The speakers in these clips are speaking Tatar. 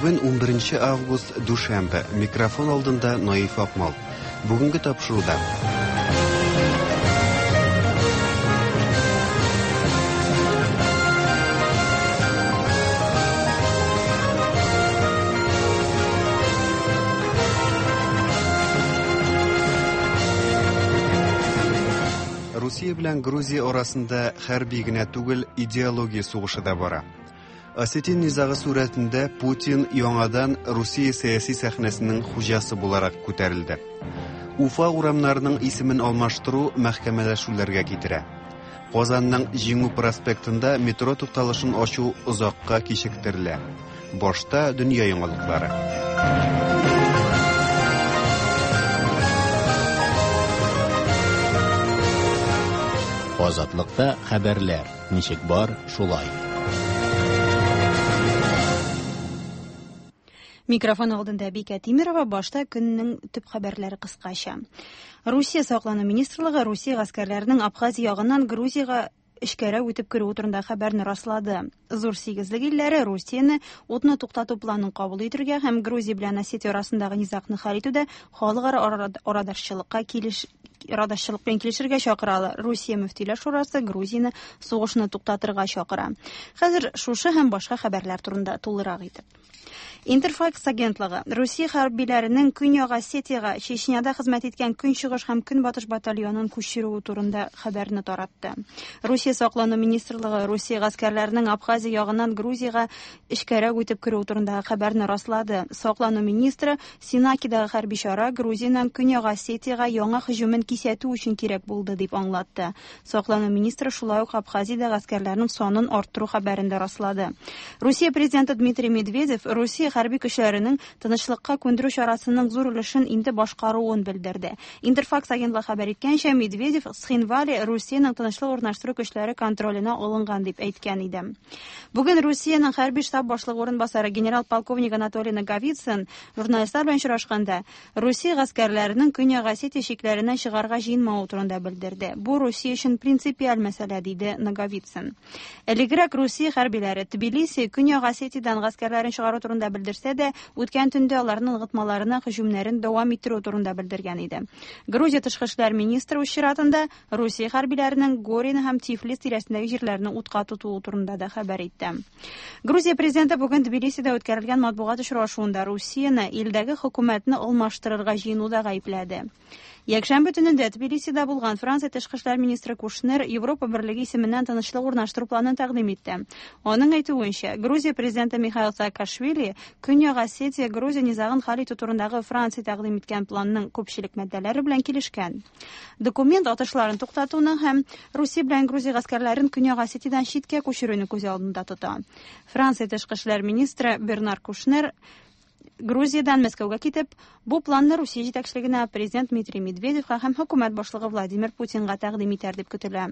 Бүген 11 август, дүшәмбе. Микрофон алдында Наиф Акмал. Бүгенге тапшыруда. Русия белән Грузия арасында хәрби генә түгел, идеология сугышы да бара. Осетин низагы сурәтендә Путин яңадан Русия сәяси сәхнәсенең хуҗасы буларак күтәрелде. Уфа урамнарының исемен алмаштыру мәхкәмәләшүләргә китерә. Казанның Җиңү проспектында метро тукталышын ачу озакка кичектерелә. Башта дөнья яңалыклары. Азатлыкта хәбәрләр. Ничек бар, шулай. Микрофон алдында Бикә Тимирова, башта көннең төп хәбәрләре кыскача. Русия саклану министрлыгы Русия гаскәрләренең Абхазия ягыннан Грузиягә эчкәрәк үтеп керүе турында хәбәрне раслады. Зур сигезлек илләре Русияне утны туктату планын кабул итергә һәм Грузия белән Осетия арасындагы низагны хәл итүдә халыкара арадашчылыкка килеш арадашчылык белән килешергә чакыралар. Русия мөфтиләр шурасы Грузияне сугышны туктатырга чакыра. Хәзер шушы һәм башка хәбәрләр турында тулырак итеп. Интерфакс агентлыгы Русия хәрбиләренең Көньяк Осетиягә Чечняда хезмәт иткән Көнчыгыш һәм Көнбатыш батальонын күчерүе турында хәбәрне таратты. Русия саклану министрлыгы Русия гаскәрләренең Абхазия ягыннан Грузиягә эчкәрәк үтеп керүе турындагы хәбәрне раслады. Саклану министры Сенакидагы хәрби чара Грузиянең Көньяк Осетиягә яңа һөҗүмен кисәтү өчен кирәк булды, дип аңлатты. Саклану министры шулай ук Абхазиядә гаскәрләрнең санын арттыру хәбәрен дә раслады. Русия президенты Дмитрий Медведев Русия хәрби көчләренең тынычлыкка күндерү чарасының зур өлешен инде башкаруын белдерде. Интерфакс агентлыгы хәбәр иткәнчә, Медведев Цхинвали Русиянең тынычлык урнаштыру көчләре контроленә алынган дип әйткән иде. Бүген Русиянең хәрби штаб башлыгы урынбасары генерал-полковник Анатолий Наговицын журналистлар белән очрашканда Русия гаскәрләренең Көньяк Осетия чикләреннән чыгарга җыенмавы турында белдерде. Бу Русия өчен принципиаль мәсьәлә, диде Наговицын. Элегрәк Русия хәрбиләре Тбилиси Көньяк Осетиядән гаскәрләрен чыгару турында белдерсә дә, үткән төндә аларның ныгытмаларына һөҗүмнәрен дәвам иттерү турында белдергән иде. Грузия тышкы эшләр министры үз чиратында Русия хәрбиләренең Горины һәм Тифлис тирәсендәге җирләрне утка тотуы турында да хәбәр итте. Грузия президенты бүген Тбилисида үткәрелгән матбугат очрашуында Русияне илдәге хөкүмәтне алмаштырырга җыенуда гаепләде. Якшәмбе төнендә Тбилисида булган Франция тышкы эшләр министры Кушнер Европа берлеге исеменнән тынычлык урнаштыру планын тәкъдим итте. Аның әйтүенчә, Грузия президенты Михаил Саакашвили Көньяк Осетия Грузия низагын хәл итү турындагы Франция тәкъдим иткән планның күпчелек маддәләре белән килешкән. Документ атышларын туктатуны һәм Русия белән Грузия гаскәрләрен Көньяк Осетиядән читкә күчерүне күз алдында тота. Франция тышкы эшләр министры Бернар Кушнер Грузиядән Мәскәүгә китеп, бу планны Русия җитәкчелегенә президент Дмитрий Медведевка һәм хөкүмәт башлыгы Владимир Путинга тәкъдим итәр дип көтелә.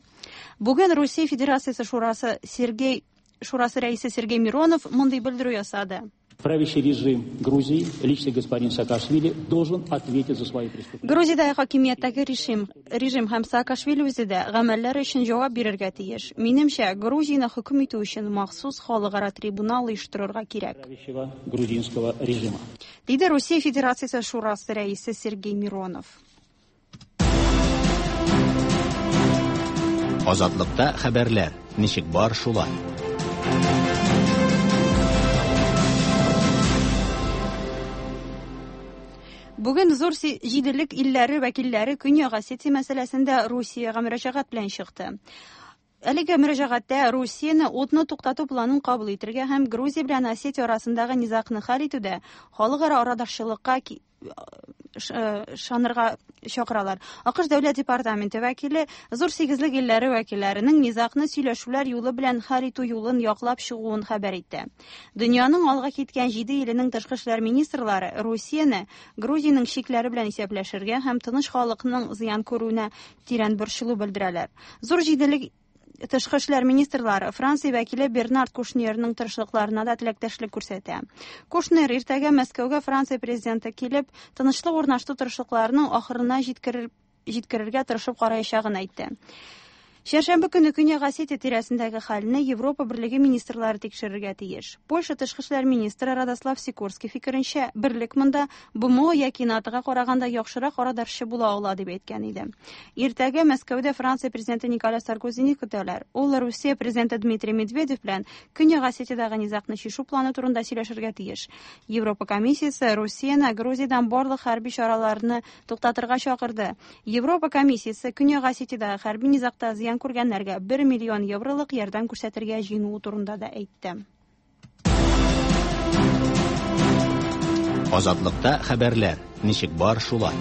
Бүген Русия Федерациясе Шурасы Сергей Шурасы рәисе Сергей Миронов мондый белдерү ясады. Правящий режим Грузии, лично господин Саакашвили, должен ответить за свои преступления. Грузиядәге хакимияттәге режим, режим һәм Саакашвили үзе дә гамәлләре өчен җавап бирергә тиеш. Минемчә, Грузияне хөкем итү өчен махсус халыкара трибунал оештырырга кирәк. Правящего грузинского режима. Диде Русия Федерациясе Шурасы рәисе Сергей Миронов. Азатлыкта хәбәрләр. Ничек бар, шулай. Бүген зур җиделек илләре вәкилләре Көньяк Осетия мәсьәләсендә Русиягә мөрәҗәгать белән чыкты. Әлеге мөрәҗәгатьтә Русияне утны туктату планын кабул итергә һәм Грузия белән Осетия арасындагы низагны хәл итүдә халыкара арадашчылыкка ышанырга чакыралар. АКШ Дәүләт департаменты вәкиле зур сигезлек илләре вәкилләренең низагны сөйләшүләр юлы белән хәл итү юлын яклап чыгуын хәбәр итте. Дөньяның алга киткән җиде иленең тышкы эшләр министрлары Русияне Грузиянең чикләре белән исәпләшергә һәм тыныч халыкның зыян күрүенә тирән борчылу белдерәләр. Зур җиделек тышкы эшләр министрлары Франция вәкиле Бернард Кушнерның тырышлыкларына да теләктәшлек күрсәтә. Кушнер иртәгә Мәскәүгә Франция президенты килеп, тынычлык урнаштыру тырышлыкларының ахырына җиткерергә тырышып караячагын әйтте. Чәршәмбе көне Көньяк Осетия тирәсендәге хәлне Европа Берлеге министрлары тикшерергә тиеш. Польша тышкы эшләр министры Радослав Сикорский фикеренчә, берлек монда БМО яки НАТОга караганда яхшырак арадашчы була ала дип әйткән иде. Иртәгә Мәскәүдә Франция президенты Николя Саркозины көтәләр. Ул Русия президенты Дмитрий Медведев белән Көньяк Осетиядәге низагны чишү планы турында сөйләшергә тиеш. Европа комиссиясе Русияне Грузиядән барлык хәрби чараларны туктатырга чакырды. Европа комиссиясе Көньяк Осетиядәге хәрби низагта зыян күргәннәргә 1 миллион евролык ярдәм күрсәтергә җыенуы турында да әйтте. Азатлыкта хәбәрләр ничек бар шулай.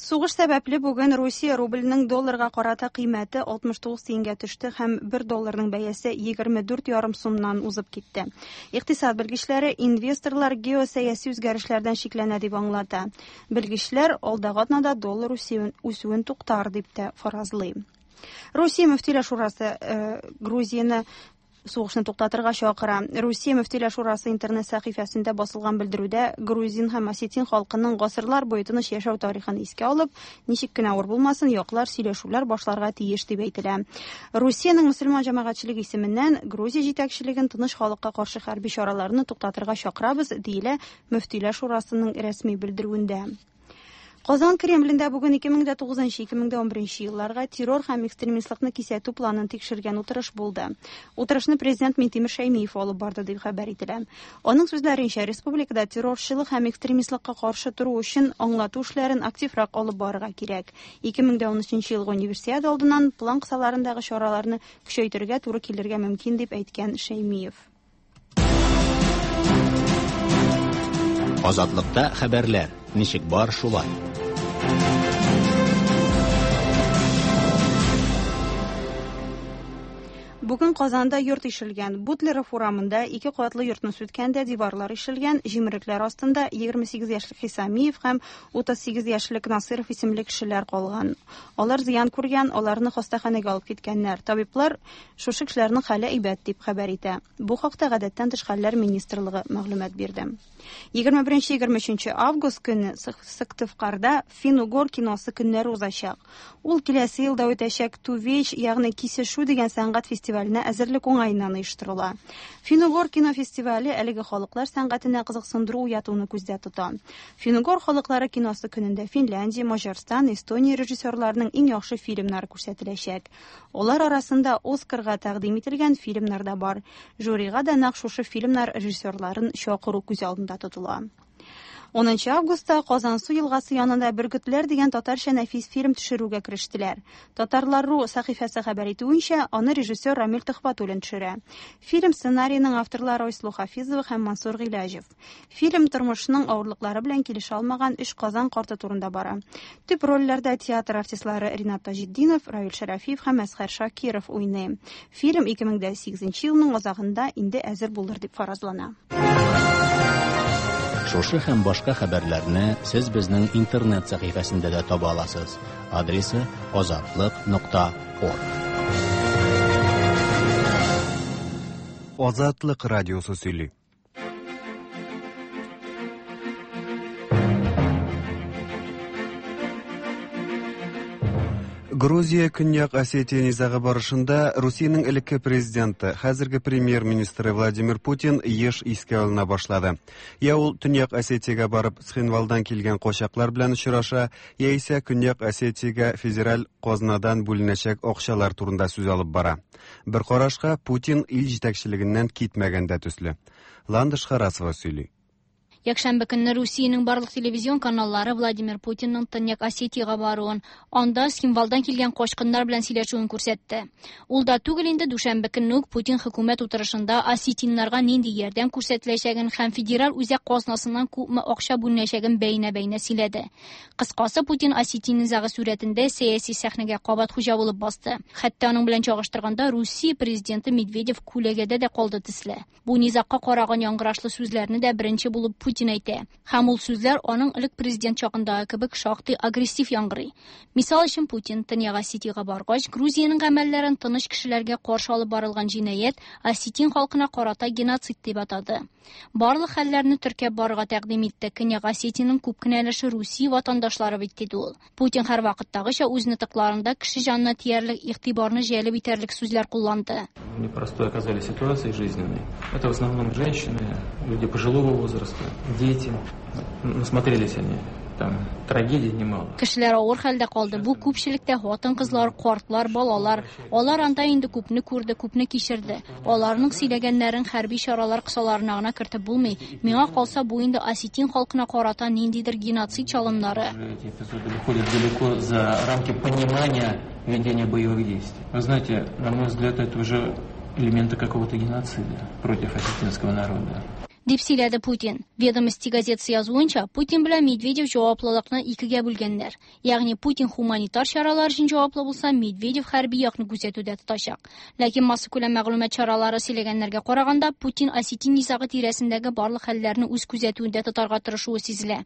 Сугыш сәбәпле бүген Русия рубльнең долларга карата кыйммәте 69 тиенгә төште һәм 1 долларның бәясе 24,5 сумнан узып китте. Икътисад белгечләре инвесторлар геосәяси үзгәрешләрдән шикләнә дип аңлата. Белгечләр алдагы атнада доллар үсүен туктар дип тә фаразлый. Русия мөфтиләр шурасы Грузияне сугышны туктатырга чакыра. Русия мөфтиләр шурасы интернет сәхифәсендә басылган белдерүдә грузин һәм осетин халкының гасырлар буе тыныч яшәү тарихын искә алып, ничек кенә авыр булмасын, яклар сөйләшүләр башларга тиеш дип әйтелә. Русиянең мөселман җәмәгатьчелеге исеменнән Грузия җитәкчелеген тыныч халыкка каршы хәрби чараларны туктатырга чакырабыз, диелә мөфтиләр шурасының рәсми белдерүендә. Казан Кремлендә бүген 2009-2011 елларга террор һәм экстремистлыкны кисәтү планын тикшергән утырыш булды. Утырышны президент Минтимер Шәймиев алып барды дип хәбәр ителә. Аның сүзләренчә, республикада террорчылык һәм экстремистлыкка каршы тору өчен аңлату эшләрен активрак алып барырга кирәк. 2013 елгы универсиада алдыннан план кысаларындагы чараларны көчәйтергә туры килергә мөмкин дип әйткән Шәймиев. Азатлыкта хәбәрләр ничек бар шулай. Бүген Казанда йорт ишелгән. Бутлеров урамында ике катлы йортны сүткәндә диварлар ишелгән, җимерекләр астында 28 яшьлек Хисамиев һәм 38 яшьлек Насыров исемле кешеләр калган. Алар зыян күргән, аларны хастаханәгә алып киткәннәр. Табиблар шушы кешеләрнең хәле әйбәт дип хәбәр итә. Бу хакта гадәттән тыш хәлләр министрлыгы мәгълүмат бирде. 21-23 август көне Сыктывкарда Фин-угор киносы көннәре узачак. Ул киләсе елда үтәчәк Тувеч, ягъни кисешү дигән сәнгать фестиваленә әзерлек уңаеннан оештырыла. Фин-угор кино фестивале әлеге халыклар сәнгатенә кызыксындыру уятуны күздә тота. Фин-угор халыклары киносы көнендә Финляндия, Маҗарстан, Эстония режиссерларының иң яхшы фильмнары күрсәтеләчәк. Алар арасында Оскарга тәкъдим ителгән фильмнар да бар. Жюрига да нәкъ шушы фильмнар режиссерларын чакыру күз алдында тотыла. 10 августта Казансу елгасы янында Бөркетләр дигән татарча нәфис фильм төшерүгә керештеләр. Татарлар.ру сәхифәсе хәбәр итүенчә, аны режиссер Рамил Төхвәтуллин төшерә. Фильм сценариеның авторлары Айсылу Хафизова һәм Мансур Гыйләҗев. Фильм тормышның авырлыклары белән килешә алмаган өч Казан карты турында бара. Төп рольләрдә театр артистлары Ринат Таҗетдинов, Равил Шәрәфиев һәм Әсхәр Шакиров уйный. Фильм 2008 елның азагында инде әзер булыр дип фаразлана. Шушы һәм башка хәбәрләрне сез безнең интернет сәхифәсендә дә таба аласыз. Адресы azatliq.org. Азатлык радиосы сөйли. Грузия Көньяк Осетия низагы барышында Русиянең элекке президенты, хәзерге премьер-министры Владимир Путин еш искә алына башлады. Я ул Төньяк Осетиягә барып Цхинвалдан килгән качаклар белән очраша, яисә Көньяк Осетиягә федераль казнадан бүленәчәк акчалар турында сүз алып бара. Бер карашка Путин ил җитәкчелегеннән китмәгән дә төсле. Ландыш Харасова сөйли. Якшәмбе көнне Русиянең барлык телевизион каналлары Владимир Путинның Төньяк Осетиягә баруын, анда Цхинвалдан килгән качкыннар белән сөйләшүен күрсәтте. Ул да түгел инде дүшәмбе көнне үк Путин хөкүмәт утырышында осетиннарга нинди ярдәм күрсәтеләчәген һәм федераль үзәк казнасыннан күпме акча бүленәчәген бәйнә-бәйнә сөйләде. Кыскасы, Путин осетин низагы сурәтендә сәяси сәхнәгә кабат хуҗа булып басты. Хәтта аның белән чагыштырганда Русия президенты Медведев күләгәдә дә калды төсле. Бу низагка караган яңгырашлы сүзләрне дә беренче булып Путин әйтә. Һәм ул сүзләр аның элек президент чагындагы кебек шактый агрессив яңгырый. Мисал өчен, Путин Төньяк Осетиягә баргач, Грузиянең гамәлләрен тыныч кешеләргә каршы алып барылган җинаять, осетин халкына карата геноцид дип атады. Барлык хәлләрне теркәп барырга тәкъдим итте. Көньяк Осетиянең күп кенә өлеше Русия ватандашлары бит, диде ул. Путин һәрвакыттагыча үз нотыкларында кеше җанына тиярлек, игътибарны җәлеп итәрлек сүзләр кулланды. В непростой оказались ситуации жизненной. Это в основном женщины, люди пожилого возраста, дети. Насмотрелись они там трагедий немало. Кешеләр авыр хәлдә калды. Бу күпчелектә хатын-кызлар, картлар, балалар. Алар анда инде күпне күрде, күпне кичерде. Аларның сөйләгәннәрен хәрби чаралар кысаларына гына кертеп булмый. Миңа калса, бу инде осетин халкына карата ниндидер геноцид чалымнары. Эти эпизоды выходят далеко за рамки понимания ведения боевых действий. Вы знаете, на мой взгляд, это уже элементы какого-то геноцида против осетинского народа. Дип сөйләде Путин. Ведомости газетасы язуынча, Путин белән Медведев җаваплылыкны икегә бүлгәннәр. Ягъни Путин хуманитар чаралар өчен җаваплы булса, Медведев хәрби якны күзәтүдә тотачак. Ләкин массакүләм мәгълүмат чаралары сөйләгәннәргә караганда, Путин осетин низагы тирәсендәге барлык хәлләрне үз күзәтүендә тотарга тырышуы сизелә.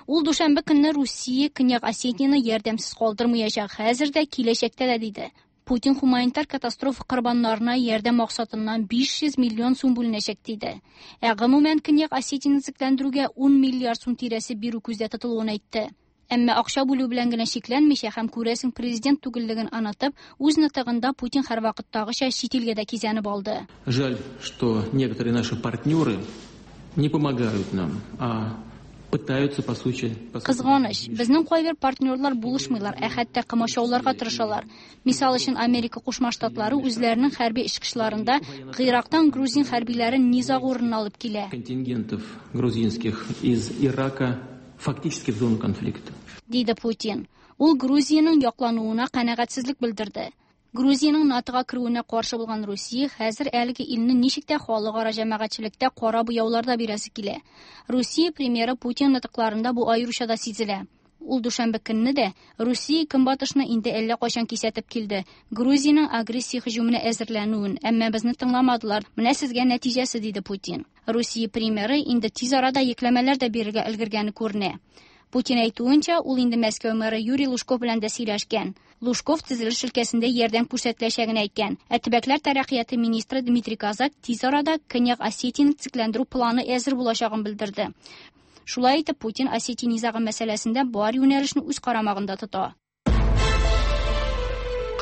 Ул дүшәмбе көнне Русия Көньяк Осетияне ярдәмсез калдырмаячак, хәзер дә, киләчәктә дә, диде. Путин хуманитар катастрофа корбаннарына ярдәм максатыннан 500 миллион сум бүленәчәк, диде. Ә гомумән Көньяк Осетияне төзекләндерүгә 10 миллиард сум тирәсе бирү күздә тотылуын әйтте. Әмма акча бүлү белән генә чикләнмичә һәм күрәсең президент түгеллеген онытып, үз нотыгында Путин һәрвакыттагыча чит илгә дә кизәнеп алды. Жаль, что некоторые наши партнеры не помогают нам, а пытаются по сути, по сути, Кызганыч, безнең кайбер партнерлар булышмыйлар, ә хәтта комачауларга тырышалар. Мисал өчен, Америка Кушма Штатлары үзләренең хәрби очкычларында Гыйрактан грузин хәрбиләрен низаг урынына алып килә. Контингентов грузинских из Ирака фактически в зону конфликта. Диде Путин. Ул Грузиянең яклануына канәгатьсезлек белдерде. Грузиянең НАТОга керүенә каршы булган Русия хәзер әлеге илне ничек тә халыкара җәмәгатьчелектә кара буяуларда бирәсе килә. Русия премьеры Путин нотыкларында бу аеруча да сизелә. Ул дүшәмбе көнне дә Русия көнбатышны инде әллә кайчан кисәтеп килде. Грузиянең агрессия һөҗүменә әзерләнүен, әмма безне тыңламадылар. Менә сезгә нәтиҗәсе, диде Путин. Русия премьеры инде тиз арада йөкләмәләр дә бирергә өлгергәне күренә. Путин әйтүенчә, ул инде Мәскәү мэры Юрий Лужков белән дә сөйләшкән. Лужков төзелеш өлкәсендә ярдәм күрсәтеләчәген әйткән. Ә төбәкләр тәрәккыяте министры Дмитрий Козак тиз арада Көньяк Осетияне төзекләндерү планы әзер булачагын белдерде. Шулай итеп, Путин Осетия низагы мәсьәләсендә бар юнәлешне үз карамагында тота.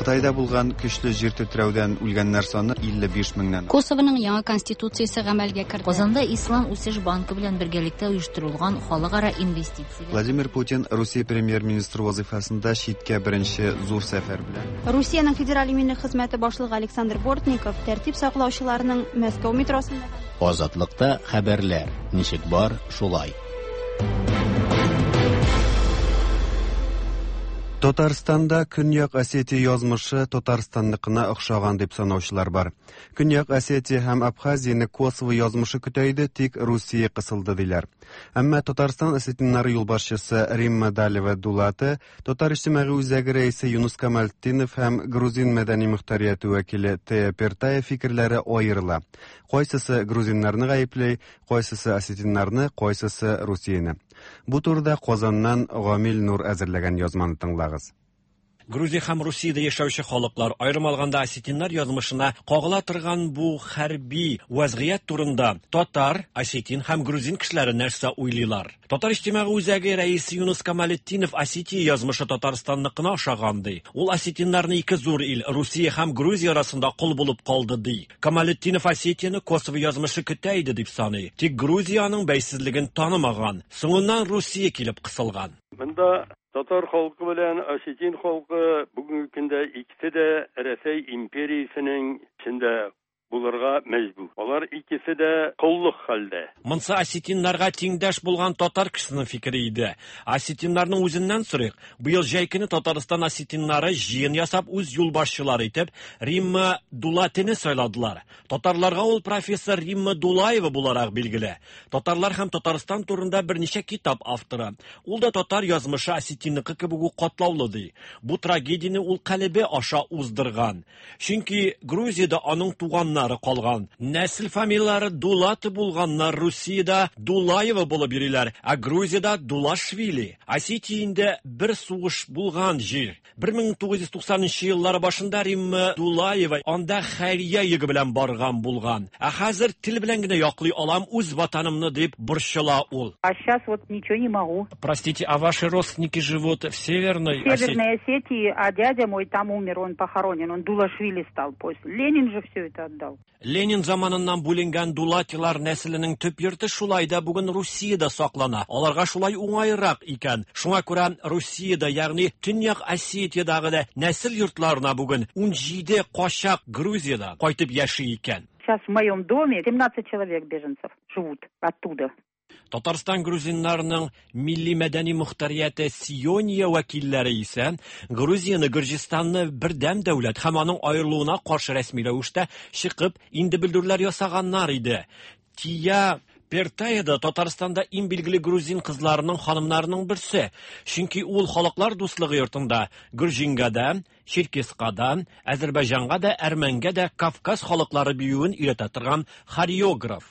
Кытайда булган көчле җир тетрәүдән үлгәннәр саны 55 меңнән. Косовоның яңа конституциясе гамәлгә керде. Казанда Ислам үсеш банкы белән бергәлектә оештырылган халыкара инвестицияләр. Владимир Путин Русия премьер-министры вазифасында читкә беренче зур сәфәр белән. Русиянең федераль иминлек хезмәте башлыгы Александр Бортников тәртип саклаучыларның Мәскәү метросында Азатлыкта хәбәрләр ничек бар, шулай. Татарстанда Көньяк Осетия язмышы Татарстанныкына охшаган дип санаучылар бар. Көньяк Осетия һәм Абхазияне Косово язмышы көтә иде, тик Русия кысылды диләр. Әмма Татарстан осетиннары юлбашчысы Римма Далева Дулаты, Татар иҗтимагый үзәге рәисе Юнус Камалтдинов һәм грузин мәдәни мөхтәрияте вәкиле Тея Пертая фикерләре аерыла. Кайсысы грузиннарны гаепли, кайсысы осетиннарны, кайсысы Русияне. Бу турыда Казаннан Гамил Нур әзерләгән язманы тыңлагыз. Грузия һәм Русиядә яшәүче халыклар, аерым алганда осетиннар язмышына кагыла торган бу хәрби вазгыять турында татар, осетин һәм грузин кешеләре нәрсә уйлыйлар? Татар иҗтимагый үзәге рәисе Юнус Камалетдинов Осетия язмышы Татарстанныкына охшаган ди. Ул осетиннарны ике зур ил, Русия һәм Грузия арасында кол булып калды ди. Камалетдинов Осетияне Косово язмышы көтә иде дип саный. Тик Грузияның бәйсезлеген танымаган. Соңыннан Русия килеп кысылган. Монда татар халкы белән осетин халкы бүгенге көндә икесе дә Рәсәй империясенең эчендә булырга мәҗбүр. Алар икесе дә коллык хәлдә. Монсы осетиннарга тиңдәш булган татар кешесенең фикере иде. Осетиннарның үзеннән сорыйк. Быел җәй көне Татарстан осетиннары җыен ясап үз юлбашчылары итеп Римма Дулатины сайладылар. Татарларга ул профессор Римма Дулаева буларак билгеле. Татарлар һәм Татарстан турында берничә китап авторы. Ул да татар язмышы осетинныкы кебек үк катлаулы ди. Бу трагедияне ул калебе аша уздырган. Чөнки Грузиядә аның туганнары туганнары калган. Нәсел фамилияләре Дулаты булганнар Русиядә Дулаева булып йөриләр, ә Грузиядә Дулашвили. Осетия инде бер сугыш булган җир. 1990 еллар башында Римма Дулаева анда хәйрия йөге белән барган булган. Ә хәзер тел белән генә яклый алам үз ватанымны дип борчыла ул. А сейчас вот ничего не могу. Простите, а ваши родственники живут в Северной Осетии? Северной Осетии, а дядя мой там умер, он похоронен, он Дулашвили стал после. Ленин же все это отдал. Ленин заманыннан бүленгән Дулатилар нәселенең төп йорты шулай да бүген Русиядә саклана. Аларга шулай уңайрак икән. Шуңа күрә Русиядә, ягъни Төньяк Осетиядәге дә нәсел йортларына бүген 17 качак Грузиядә кайтып яши икән. Сейчас в моем доме 17 человек беженцев живут оттуда. Татарстан грузиннарының милли мәдәни мохтарияте Сиония вәкилләре исә Грузияне Гөрҗистанны бердәм дәүләт һәм аның аерылуына каршы рәсми рәвештә чыгып инде белдерүләр ясаганнар иде. Тия Пертаеда Татарстанда иң билгеле грузин кызларының ханымнарының берсе. Чөнки ул Халыклар дуслыгы йортында Гөрҗингә дә, Черкеска да, Азәрбайҗанга да, Әрмәнгә дә Кавказ халыклары биюен өйрәтә торган хореограф.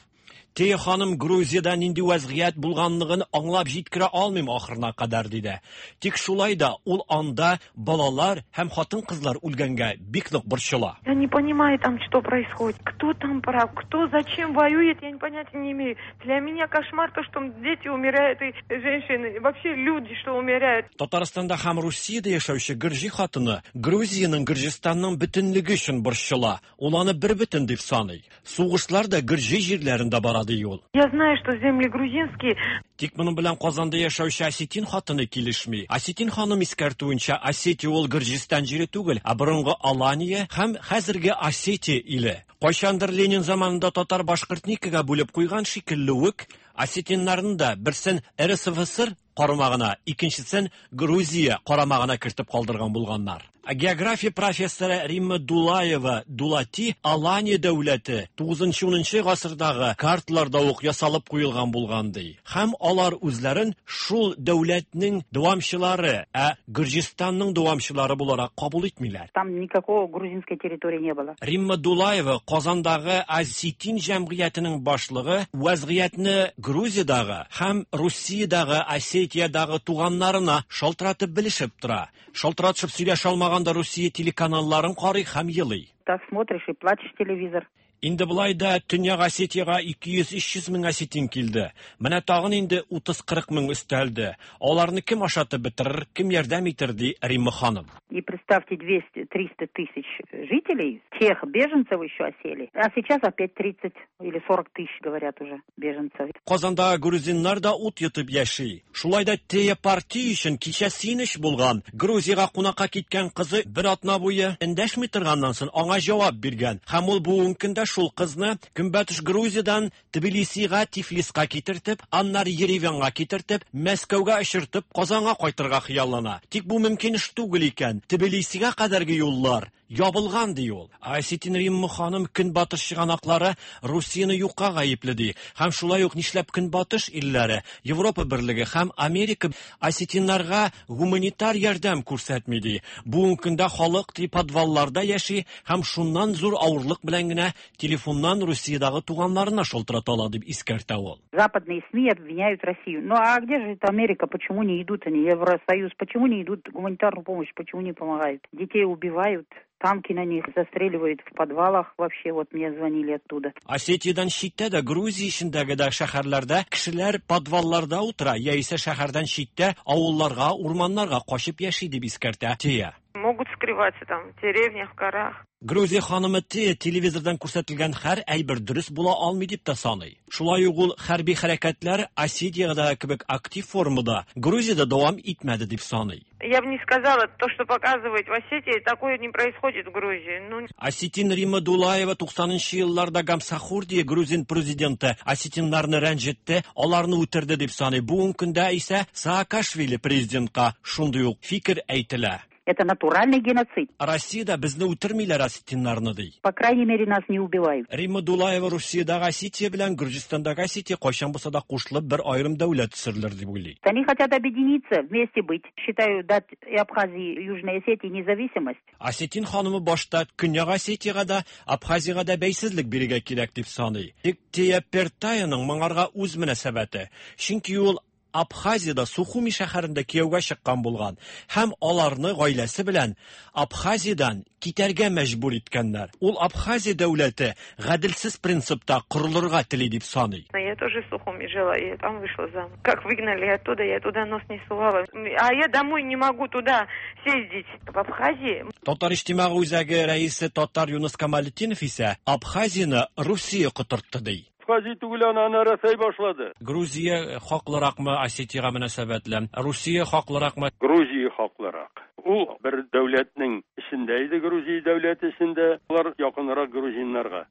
Тея ханым Грузиядә нинди вәзгыять булганлыгын аңлап җиткерә алмыйм ахырына кадәр диде. Тик шулай да ул анда балалар һәм хатын-кызлар үлгәнгә бик нык борчыла. Я не понимаю там, что происходит. Кто там прав, кто зачем воюет, я понятия не имею. Для меня кошмар то, что дети умирают и женщины, и вообще люди, что умирают. Татарстанда һәм Русиядә яшәүче гөрҗи хатыны Грузиянең Гөрҗистанның бөтенлеге өчен борчыла. Ул аны бер бөтен дип саный. Сугышлар да гөрҗи җирләрендә бара ди ул. Я знаю, что земли грузинские. Тик моның белән Казанда яшәүче осетин хатыны килешми. Осетин ханым искәртүенчә, Осетия ул Гөрҗистан җире түгел, ә борынгы Алания һәм хәзерге Осетия иле. Кайчандыр Ленин заманында татар башкортникага бүлеп куйган шикелле үк, осетиннарны да берсен РСФСР карамагына, икенчесен Грузия карамагына кертеп калдырган булганнар. География профессоры Римма Дулаева Дулати Алания дәүләте 9-10 гасырдагы карталарда ук ясалып куелган булган ди. Һәм алар үзләрен шул дәүләтнең дәвамчылары, ә Гөрҗистанның дәвамчылары буларак кабул итмиләр. Там никакого грузинской территории не было. Римма Дулаева Казандагы Осетин җәмгыятенең башлыгы вәзгыятьне Грузиядагы һәм Русиядагы Осетиядагы туганнарына шалтыратып белешеп тора. Шалтыратышып сөйләшә алмаганда Русия телеканалларын карый һәм елый. Так смотришь и плачешь телевизор. Инде болай да Төньяк Осетиягә 200-300 мең осетин килде. Менә тагын инде 30-40 мең өстәлде. Аларны кем ашатып бетерер, кем ярдәм итер, ди Римма ханым. И представьте, 200-300 тысяч жителей, тех беженцев еще осели. А сейчас опять 30 или 40 тысяч, говорят уже, беженцев. Казанда грузиннар да ут йотып яши. Шулай да Тея партия өчен кичә сөенеч булган. Грузиягә кунакка киткән кызы бер атна буе эндәшми торганнан соң аңа җавап биргән. Һәм ул бүгенге көндә шул кызны Көнбатыш Грузиядан Тбилисига, Тифлиска китертеп, аннары Ереванга китертеп, Мәскәүгә очыртып, Казанга кайтырга хыяллана. Тик бу мөмкин эш түгел икән. Тбилисига кадәрге юллар ябылган ди ул. Осетин Римма ханым Көнбатыш чыганаклары Русияне юкка гаепле ди. Һәм шулай ук нишләп Көнбатыш илләре, Европа берлеге һәм Америка осетиннарга гуманитар ярдәм күрсәтми ди. Бүгенге көндә халык ди подвалларда яши һәм шуннан зур авырлык белән генә телефоннан Русиядагы туганнарына шалтырата ала дип искәртә ул. Западные СМИ обвиняют Россию. Ну а где же это Америка? Почему не идут они? Евросоюз? Почему не идут гуманитарную помощь? Почему не помогают? Детей убивают, танки на них застреливают в подвалах. Вообще, вот мне звонили оттуда. Осетиядән читтә дә, Грузия эчендәге дә шәһәрләрдә кешеләр подвалларда утыра, яисә шәһәрдән читтә авылларга, урманнарга качып яши дип искәртә Тея. Могут скрываться там в деревнях, в горах. Грузия ханымы Тея телевизордан күрсәтелгән һәр әйбер дөрес була алмый дип тә саный. Шулай ук ул хәрби хәрәкәтләр Осетиядә кебек актив формада Грузиядә дәвам итмәде дип саный. Я бы не сказала, то, что показывают в Осетии, такое не происходит в Грузии. Ну... Осетин Римма Дулаева 90 елларда Гамсахурдия грузин президенты осетиннарны рәнҗетте, аларны үтерде дип саный. Бүгенге көндә исә Саакашвили президентка шундый ук фикер әйтелә. Это натуральный геноцид. Россиядә безне үтермиләр осетиннарны ди. По крайней мере, нас не убивают. Римма Дулаева Русиядәге Осетия белән Гөрҗистандагы Осетия кайчан булса да кушылып бер аерым дәүләт төзерләр дип уйлый. Они хотят объединиться, вместе быть. Считаю, дать и Абхазии, и Южной Осетии независимость. Осетин ханымы башта Көньяк Осетиягә дә, Абхазиягә дә бәйсезлек бирергә кирәк дип саный. Тик Тея Пертаяның моңарга үз мөнәсәбәте. Чөнки ул Абхазиядә Сухуми шәһәрендә кияүгә чыккан булган һәм аларны гаиләсе белән Абхазиядән китәргә мәҗбүр иткәннәр. Ул Абхазия дәүләте гаделсез принципта корылырга тели дип саный. Я тоже в Сухуми жила, и там вышла замуж. Как выгнали оттуда, я туда нос не сувала. А я домой не могу туда съездить. В Абхазии. Татар иҗтимагый үзәге рәисе татар Юныс Камалетдинов исә Абхазияне Русия котыртты ди. Абхазия түгел аны, аны Рәсәй башлады. Грузия хаклыракмы Осетиягә мөнәсәбәтле? Русия хаклыракмы? Грузия хаклырак. Ул бер дәүләтнең эчендә иде, Грузия дәүләте эчендә. Алар якынрак грузиннарга.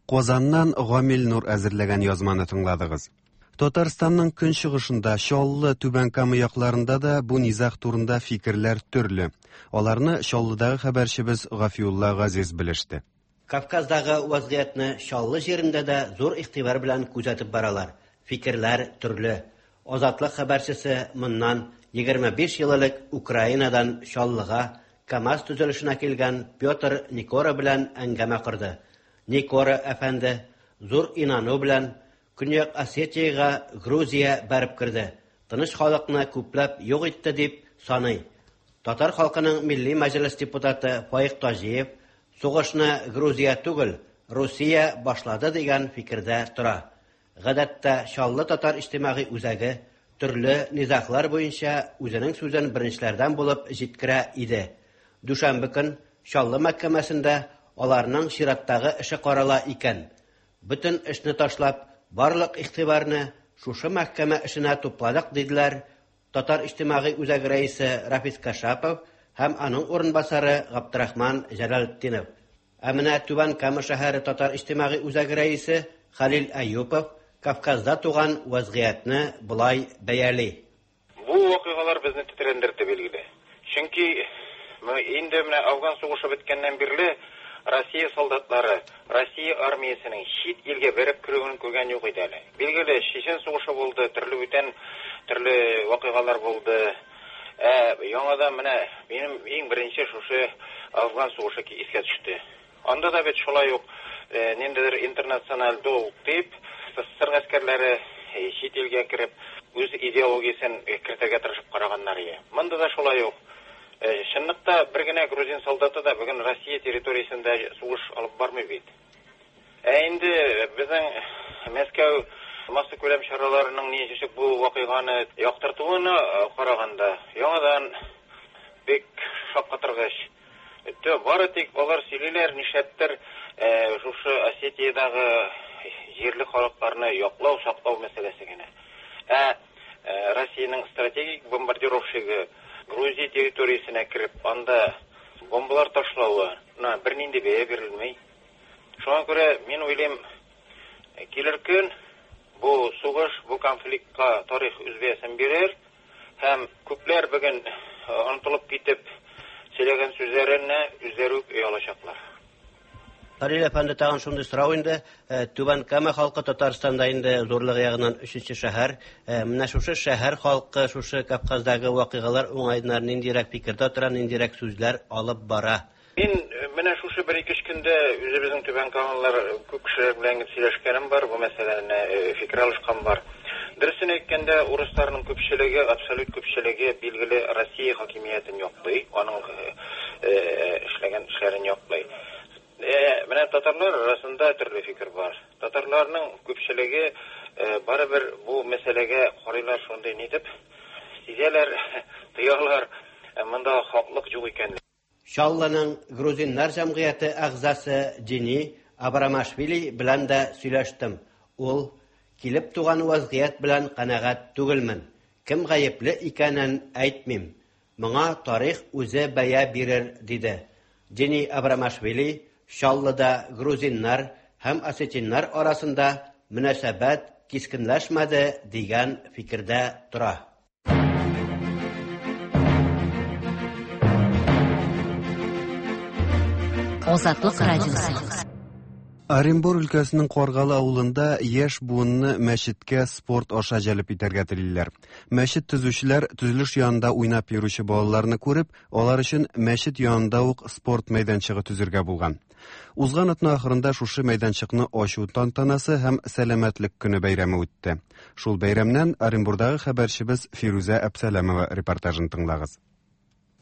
Казаннан Гамил Нур әзерләгән язманы тыңладыгыз. Татарстанның көнчыгышында, Чаллы, Түбән Кама якларында да бу низаг турында фикерләр төрле. Аларны Чаллыдагы хәбәрчебез Гафиулла Газиз белеште. Кавказдагы вазгыятьне Чаллы җирендә дә зур игътибар белән күзәтеп баралар. Фикерләр төрле. Азатлык хәбәрчесе моннан 25 ел элек Украинадан Чаллыга КАМАЗ төзелешенә килгән Петр Никора белән әңгәмә корды. Никора әфәнде зур инану белән Көньяк Осетиягә Грузия бәреп керде, тыныч халыкны күпләп юк итте дип саный. Татар халкының Милли мәҗлес депутаты Фаик Таҗиев сугышны Грузия түгел, Русия башлады дигән фикердә тора. Гадәттә, Чаллы татар иҗтимагый үзәге төрле низаглар буенча үзенең сүзен беренчеләрдән булып җиткерә иде. Дүшәмбе көн Чаллы мәхкәмәсендә аларның чираттагы эше карала икән. Бөтен эшне ташлап, барлык игътибарны шушы мәхкәмә эшенә тупладык, диделәр Татар иҗтимагый үзәге рәисе Рафис Кашапов һәм аның урынбасары Габдрахман Җәләлетдинов. Ә менә Түбән Кама шәһәре Татар иҗтимагый үзәге рәисе Хәлил Әюпов Кавказда туган вазгыятьне болай бәяли. Бу вакыйгалар безне тетрәндерде, билгеле. Чөнки инде менә Афган сугышы беткәннән бирле Россия солдатлары, Россия армиясенең чит илгә бәреп керүен күргән юк иде әле. Билгеле, Чечен сугышы булды, төрле бүтән төрле вакыйгалар булды. Ә яңадан менә минем иң беренче шушы Афган сугышы искә төште. Анда да бит шулай ук ниндидер интернациональ долг дип, СССР гаскәрләре чит илгә кереп, үз идеологиясен кертергә тырышып караганнар ие. Монда да шулай ук. Чынлыкта бер генә грузин солдаты да бүген Россия территориясендә сугыш алып бармый бит. Ә инде безнең Мәскәү массакүләм чараларының ничек бу вакыйганы яктыртуына караганда, яңадан бик шаккатыргыч. Бары тик алар сөйлиләр, нишләптер шушы Осетиядагы җирле халыкларны яклау, саклау мәсьәләсе генә. Ә Россиянең стратегик бомбардировщигы Грузия территориясенә кереп, анда бомбалар ташлавына бернинди бәя бирелми. Шуңа күрә мин уйлыйм, килер көн бу сугыш, бу конфликтка тарих үз бәясен бирер һәм күпләр бүген онытылып китеп сөйләгән сүзләренә үзләре үк оялачаклар. Хәлил әфәнде, тагын шундый сорау инде. Түбән Кама халкы Татарстанда инде зурлыгы ягыннан өченче шәһәр. Менә шушы шәһәр халкы шушы Кавказдагы вакыйгалар уңаеннан ниндирәк фикердә тора, ниндирәк сүзләр алып бара? Мин менә шушы бер ике өч көндә үзебезнең Түбән Камалылар күп кешеләр белән сөйләшкәнем бар, бу мәсьәләне фикер алышкан бар. Дөресен әйткәндә, урысларның күпчелеге, абсолют күпчелеге, билгеле, Россия хакимиятен яклый, аның эшләгән эшләрен яклый. Менә татарлар арасында төрле фикер бар. Татарларның күпчелеге барыбер бу мәсьәләгә карыйлар шундый нитеп, сизәләр, тоялар, монда хаклык юк икән. Чаллының грузиннар җәмгыяте әгъзасы Дини Абрамашвили белән дә сөйләштем. Ул килеп туган вазгыять белән канәгать түгелмен. Кем гаепле икәнен әйтмим. Моңа тарих үзе бәя бирер, диде. Дини Абрамашвили Чаллыда грузиннар һәм осетиннар арасында мөнәсәбәт кискенләшмәде дигән фикердә тора. Азатлык радиосы. Оренбур өлкәсенең Каргалы авылында яшь буынны мәчеткә спорт аша җәлеп итәргә телиләр. Мәчет төзүчеләр төзелеш янында уйнап йөрүче балаларны күреп, алар өчен мәчет янында ук спорт мәйданчыгы төзергә булган. Узган атна ахырында шушы мәйданчыкны ачу тантанасы һәм Сәламәтлек көне бәйрәме үтте. Шул бәйрәмнән Оренбурдагы хәбәрчебез Фирүзә Әпсәләмова репортажын тыңлагыз.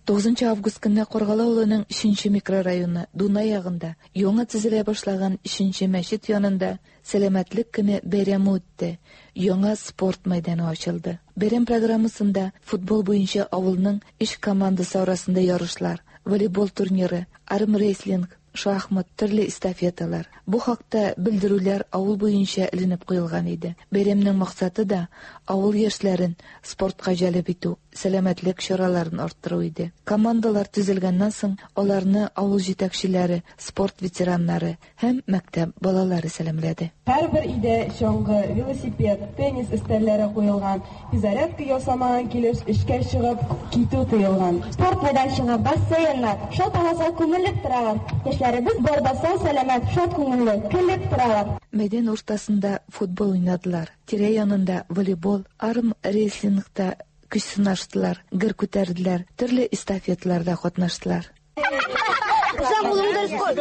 9 август көнне Каргалы авылының 3 микрорайоны Дунай ягында яңа төзелә башлаган 3 мәчет янында Сәламәтлек көне бәйрәме үтте. Яңа спорт мәйданы ачылды. Бәйрәм программасында футбол буенча авылның өч командасы арасында ярышлар, волейбол турниры, армрестлинг, шахмат, төрле эстафеталар. Бу хакта белдерүләр авыл буенча эленеп куелган иде. Бәйрәмнең максаты да авыл яшьләрен спортка җәлеп итү, сәламәтлек чараларын арттыру иде. Командалар төзелгәннән соң, аларны авыл җитәкчеләре, спорт ветераннары һәм мәктәп балалары сәламләде. Һәрбер өйдә чаңгы, велосипед, теннис өстәлләре куелган. Физзарядка ясамаган килеш эшкә чыгып китү тыелган. Спорт мәйданчыгы, бассейннар шау тамашага күмелеп торалар. Яшьләребез бар да сау-сәламәт, шат күңелле, көлеп торалар. Мәйдан уртасында футбол уйнадылар. Тирә янында волейбол, армрестлингта көч сынаштылар, гер күтәрделәр, төрле эстафеталарда катнаштылар. Руслан, кулыңны дөрес куй.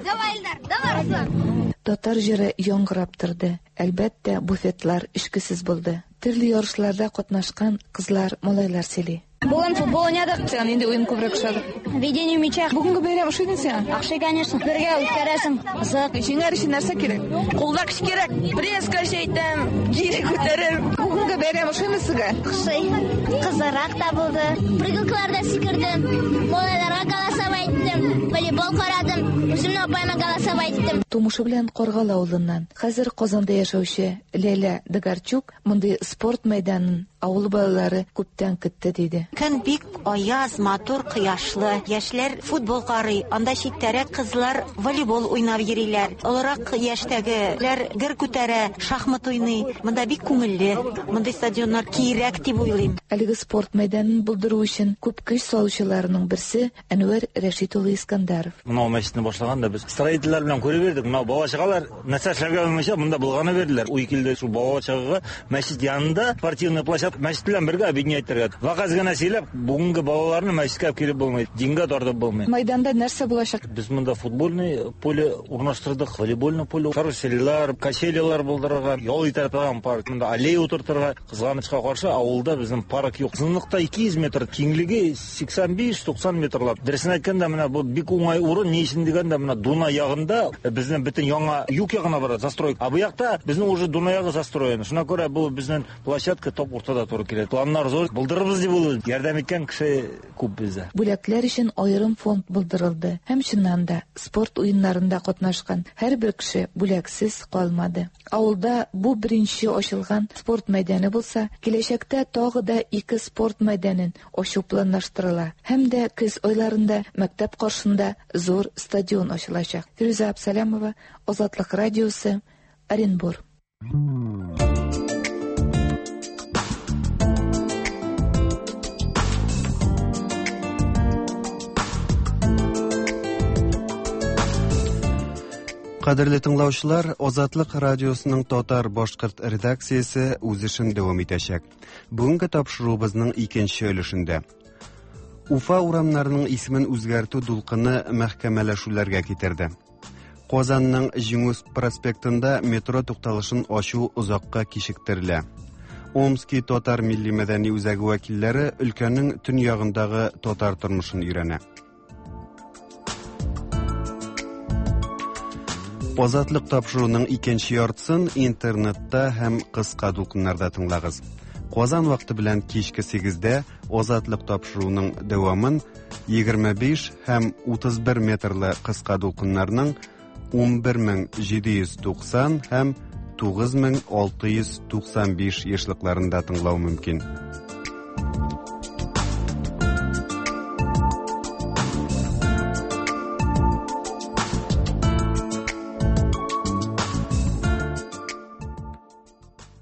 Давай, Илдар, давай, Руслан. Татар җыры яңгырап торды. Әлбәттә, буфетлар эчкесез булды. Төрле ярышларда катнашкан кызлар, малайлар сөйли. Бүген футбол уйнадык. Сиңа нинди уен күбрәк ошады? Ведение мяча. Бүгенге бәйрәм ошыйдымы сиңа? Охшый, конечно. Бергә үткәрәсең. Кызык. Җиңәр өчен нәрсә кирәк? Кулда көч кирәк. Пресс көчәйтәм, гири күтәрәм. Бүгенге бәйрәм ошыймы сезгә? Ошый. Кызыграк та булды. Прыгалкаларда сикердем. Малайларга голосовать иттем. Волейбол карадым. Үземнең апаема голосовать иттем. Тумышы белән Каргалы авылыннан, хәзер Казанда яшәүче Ләйлә Дыгарчук мондый спорт мәйданын авыл балалары күптән көтте, диде. Көн бик аяз, матур, кояшлы. Яшьләр футбол карый, анда читтәрәк кызлар волейбол уйнап йөриләр. Олырак яшьтәгеләр гер күтәрә, шахмат уйный. Монда бик күңелле. Мондый стадионнар кирәк дип уйлыйм. Әлеге спорт мәйданын булдыру өчен күп көч салучыларның берсе Әнвәр Рәшит улы Искандаров. Мынау мәчетне башлаганда без строительләр белән күреп йөрдек. Мынау бала-чагалар нәрсә эшләргә белмичә монда болгана бирделәр. Уй килде шул бала-чагага мәчет янында спортивный площадка мәчет белән бергә объединять итәргә. Вәгазь генә сөйләп, бүгенге балаларны мәчеткә алып килеп булмый, дингә тартып булмый. Майданда нәрсә булачак? Без монда футбольный поле урнаштырдык, волейбольный поле, карусельлар, качелялар булдырырга, ял итә торган парк, монда аллея утыртырга. Кызганычка каршы, авылда безнең парк юк. Озынлыкта 200 метр, киңлеге 85-90 метрлап. Дөресен әйткәндә, менә бу бик уңай урын. Ни өчен дигәндә, менә Дунай ягында безнең бөтен яңа юг ягына бара застройка. Ә бу якта безнең уже Дунай ягы застроен. Шуңа күрә бу безнең площадка топ уртада туры килә. Планнар зур, булдырырбыз дип уйлыйм. Ярдәм иткән кеше күп бездә. Бүләкләр өчен аерым фонд булдырылды һәм чыннан да, спорт уеннарында катнашкан һәрбер кеше бүләксез калмады. Авылда бу беренче ачылган спорт мәйданы булса, киләчәктә тагы да ике спорт мәйданын ачу планлаштырыла һәм дә көз айларында мәктәп каршында зур стадион ачылачак. Фирүзә Абсалямова, Азатлык радиосы, Оренбур. Кадерле тыңлаучылар, Азатлык радиосының татар башкорт редакциясе үз эшен дәвам итәчәк. Бүгенге тапшыруыбызның икенче өлешендә. Уфа урамнарының исемен үзгәртү дулкыны мәхкәмәләшүләргә китерде. Казанның Җиңү проспектында метро тукталышын ачу озакка кичектерелә. Омски татар милли мәдәни үзәге вәкилләре өлкәнең төньягындагы татар тормышын өйрәнә. Азатлык тапшыруның икенче яртысын интернетта һәм кыска дулкыннарда тыңлагыз. Казан вакыты белән кичке 8-дә Азатлык тапшыруның дәвамын 25 һәм 31 метрлы кыска дулкыннарның 11790 һәм 9695 ешлыкларында тыңлау мөмкин.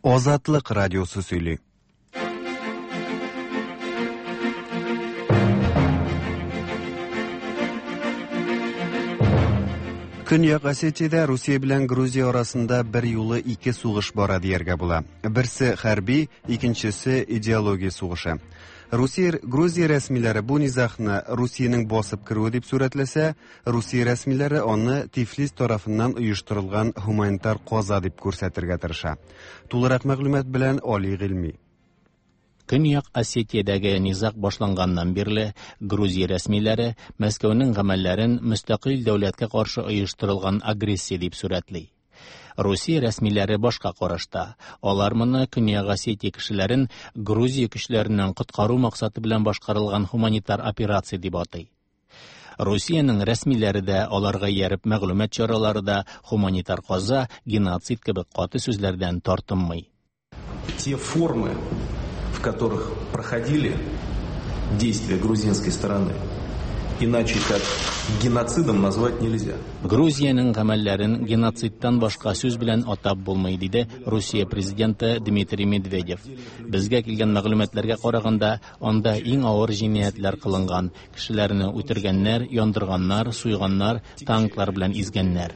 Азатлык радиосы сөйли. Көньяк Осетиядә Русия белән Грузия арасында бер юлы ике сугыш бара дияргә була. Берсе хәрби, икенчесе идеология сугышы. Русия Грузия рәсмиләре бу низагны Русиянең басып керүе дип сурәтләсә, Русия рәсмиләре аны Тифлис тарафыннан оештырылган һуманитар каза дип күрсәтергә тырыша. Тулырак мәгълүмат белән Али Гыйльми. Көньяк Осетиядәге низаг башланганнан бирле Грузия рәсмиләре Мәскәүнең гамәлләрен мөстәкыйль дәүләткә каршы оештырылган агрессия дип сурәтли. Русия рәсмиләре башка карашта. Алар моны Көньяк Осетия кешеләрен Грузия көчләреннән коткару максаты белән башкарылган һуманитар операция дип атый. Русиянең рәсмиләре дә, аларга ияреп мәгълүмат чаралары да һуманитар каза, геноцид кебек каты сүзләрдән тартынмый. Те формы, в которых проходили действия грузинской стороны, иначе как геноцидом назвать нельзя. Грузиянең гамәлләрен геноцидтан башка сүз белән атап булмый, диде Русия президенты Дмитрий Медведев. Безгә килгән мәгълүматларга караганда, анда иң авыр җинаятьләр кылынган. Кешеләрне үтергәннәр, яндырганнар, суйганнар, танклар белән изгәннәр.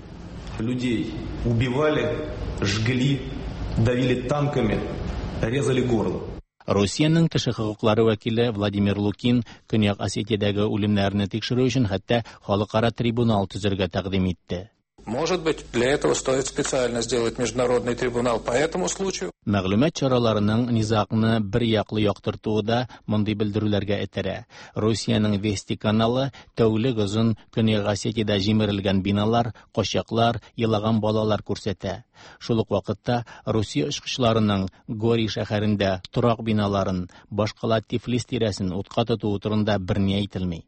Людей убивали, жгли, давили танками, резали горло. Русиянең кеше хокуклары вәкиле Владимир Лукин Көньяк Осетиядәге үлемнәрне тикшерү өчен хәтта халыкара трибунал төзергә тәкъдим итте. Может быть, для этого стоит специально сделать международный трибунал по этому случаю. Мәгълүмат чараларының низагны бер яклы яктыртуы да мондый белдерүләргә этәрә. Русиянең Вести каналы тәүлек озын Көньяк Осетиядә җимерелгән биналар, качаклар, елаган балалар күрсәтә. Шул ук вакытта Русия очкычларының Гори шәһәрендә торак биналарын, башкала Тифлис тирәсен утка тотуы турында берни әйтелми.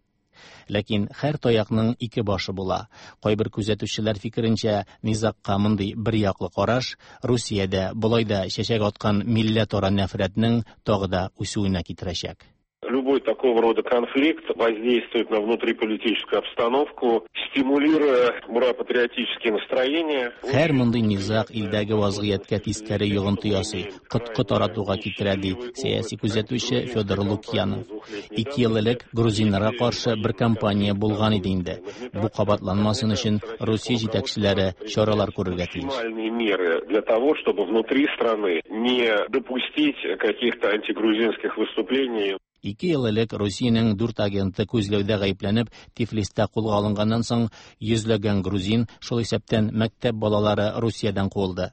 Ләкин һәр таякның ике башы була. Кайбер күзәтүчеләр фикеренчә, низагка мондый бер яклы караш Русиядә болай да чәчәк аткан милләтара нәфрәтнең тагы да үсүенә китерәчәк. Любой такого рода конфликт воздействует на внутриполитическую обстановку, стимулируя ура-патриотические настроения. Һәр мондый низаг илдәге вазгыятькә тискәре йогынты ясый, коткы таратуга китерә, ди сәяси күзәтүче Федор Лукьянов. 2 ел элек грузиннарга каршы бер кампания булган иде инде. Бу кабатланмасын өчен Русия җитәкчеләре чаралар күрергә тиеш. Максимальные меры для того, чтобы внутри страны не допустить каких-то антигрузинских выступлений. 2 ел элек Русиянең 4 агенты күзләүдә гаепләнеп Тифлистә кулга алынганнан соң йөзләгән грузин, шул исәптән мәктәп балалары Русиядән куылды.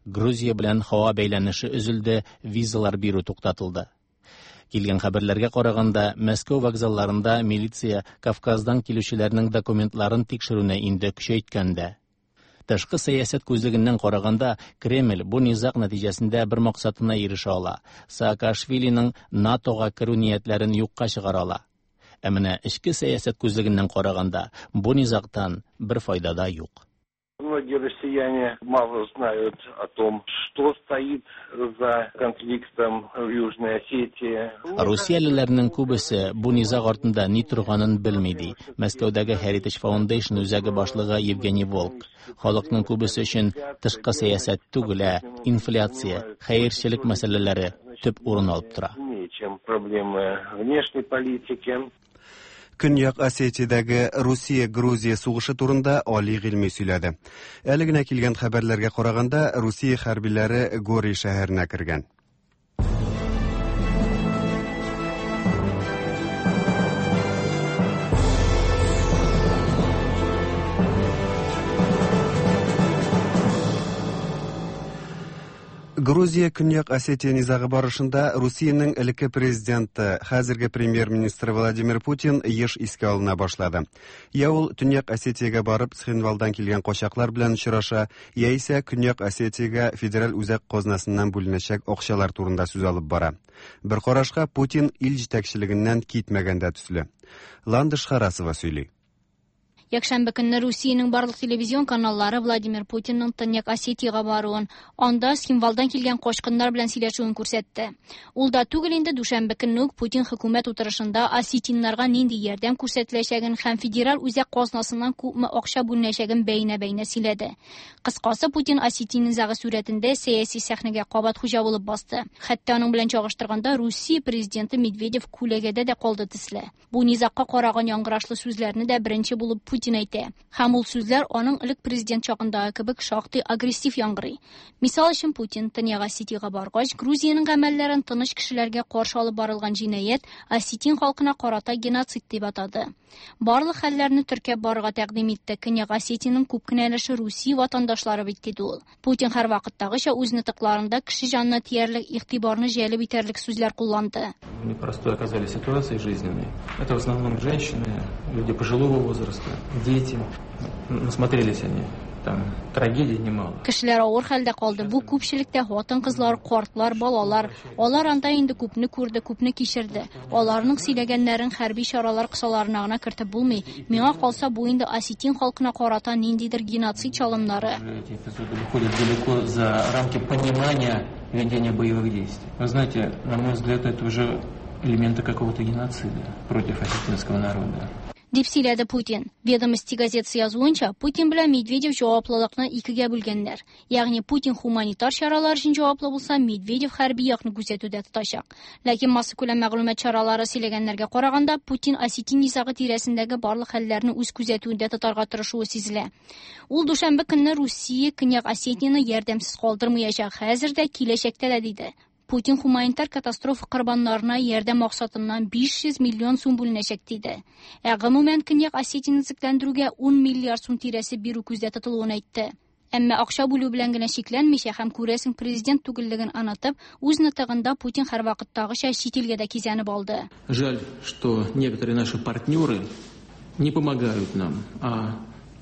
Грузия белән һава бәйләнеше өзелде, визалар бирү туктатылды. Килгән хәбәрләргә караганда, Мәскәү вокзалларында милиция Кавказдан килүчеләрнең документларын тикшерүне инде көчәйткән дә. Тышкы сәясәт күзлегеннән караганда, Кремль бу низаг нәтиҗәсендә бер максатына ирешә ала. Саакашвилиның НАТОга керү ниятләрен юкка чыгара ала. Ә менә эчке сәясәт күзлегеннән караганда, бу низагтан бер файда да юк. Многие россияне мало знают о том, что стоит за конфликтом в Южной Осетии. Русиялеләрнең күбесе бу низаг артында ни торганын белми, ди Мәскәүдәге Heritage Foundation үзәге башлыгы Евгений Волк. Халыкның күбесе өчен тышкы сәясәт түгел, ә инфляция, хәерчелек мәсьәләләре төп урын алып тора. Чем проблемы внешней политики. Көньяк Осетиядәге Русия-Грузия сугышы турында Али Гыйльми сөйләде. Әле генә килгән хәбәрләргә караганда, Русия хәрбиләре Гори шәһәренә кергән. Грузия Көньяк Осетия низагы барышында Русиянең элекке президенты, хәзерге премьер-министры Владимир Путин еш искә алына башлады. Я ул Төньяк Осетиягә барып Цхинвалдан килгән качаклар белән очраша, яисә Көньяк Осетиягә федераль үзәк казнасыннан бүленәчәк акчалар турында сүз алып бара. Бер карашка Путин ил җитәкчелегеннән китмәгән дә төсле. Ландыш Харасова сөйли. Якшәмбе көнне Русиянең барлык телевизион каналлары Владимир Путинның Төньяк Осетиягә баруын, анда Цхинвалдан килгән качкыннар белән сөйләшүен күрсәтте. Ул да түгел инде дүшәмбе көнне үк Путин хөкүмәт утырышында осетиннарга нинди ярдәм күрсәтеләчәген һәм федераль үзәк казнасыннан күпме акча бүленәчәген бәйнә-бәйнә сөйләде. Кыскасы, Путин осетин низагы сурәтендә сәяси сәхнәгә кабат хуҗа булып басты. Хәтта аның белән чагыштырганда Русия президенты Медведев күләгәдә дә калды төсле. Бу низагка караган яңгырашлы сүзләрне дә беренче булып Путин Путин әйтә. Һәм ул сүзләр аның элек президент чагындагы кебек шактый агрессив яңгырый. Мисал өчен, Путин Төньяк Осетиягә баргач, Грузиянең гамәлләрен тыныч кешеләргә каршы алып барылган җинаять, осетин халкына карата геноцид дип атады. Барлык хәлләрне теркәп барырга тәкъдим итте. Көньяк Осетиянең күп кенә өлеше Русия ватандашлары бит, диде ул. Путин һәрвакыттагыча үз нотыкларында кеше җанына тиярлек, игътибарны җәлеп итәрлек сүзләр кулланды. В непростой оказались ситуации жизненной. Это в основном женщины, люди пожилого возраста, дети. Насмотрелись они там трагедий немало. Кешеләр авыр хәлдә калды. Бу күпчелектә хатын-кызлар, картлар, балалар. Алар анда инде күпне күрде, күпне кичерде. Аларның сөйләгәннәрен хәрби чаралар кысаларына гына кертеп булмый. Миңа калса, бу инде осетин халкына карата ниндидер геноцид чалымнары. Эти эпизоды выходят далеко за рамки понимания ведения боевых действий. Вы знаете, на мой взгляд, это уже элементы какого-то геноцида против осетинского народа. Дип сөйләде Путин. Ведомости газетасы язуынча, Путин белән Медведев җаваплылыкны икегә бүлгәннәр. Ягъни Путин хуманитар чаралар өчен җаваплы булса, Медведев хәрби якны күзәтүдә тотачак. Ләкин массакүләм мәгълүмат чаралары сөйләгәннәргә караганда, Путин осетин низагы тирәсендәге барлык хәлләрне үз күзәтүендә тотарга тырышуы сизелә. Ул дүшәмбе көнне Русия Көньяк Осетияне ярдәмсез калдырмаячак, хәзер дә, киләчәктә дә, диде. Путин хуманитар катастрофа корбаннарына ярдәм максатыннан 500 миллион сум бүленәчәк, диде. Ә гомумән Көньяк Осетияне төзекләндерүгә 10 миллиард сум тирәсе бирү күздә тотылуын әйтте. Әмма акча бүлү белән генә чикләнмичә һәм күрәсең президент түгеллеген онытып, үз нотыгында Путин һәрвакыттагыча чит илгә дә кизәнеп алды. Жаль, что некоторые наши партнеры не помогают нам, а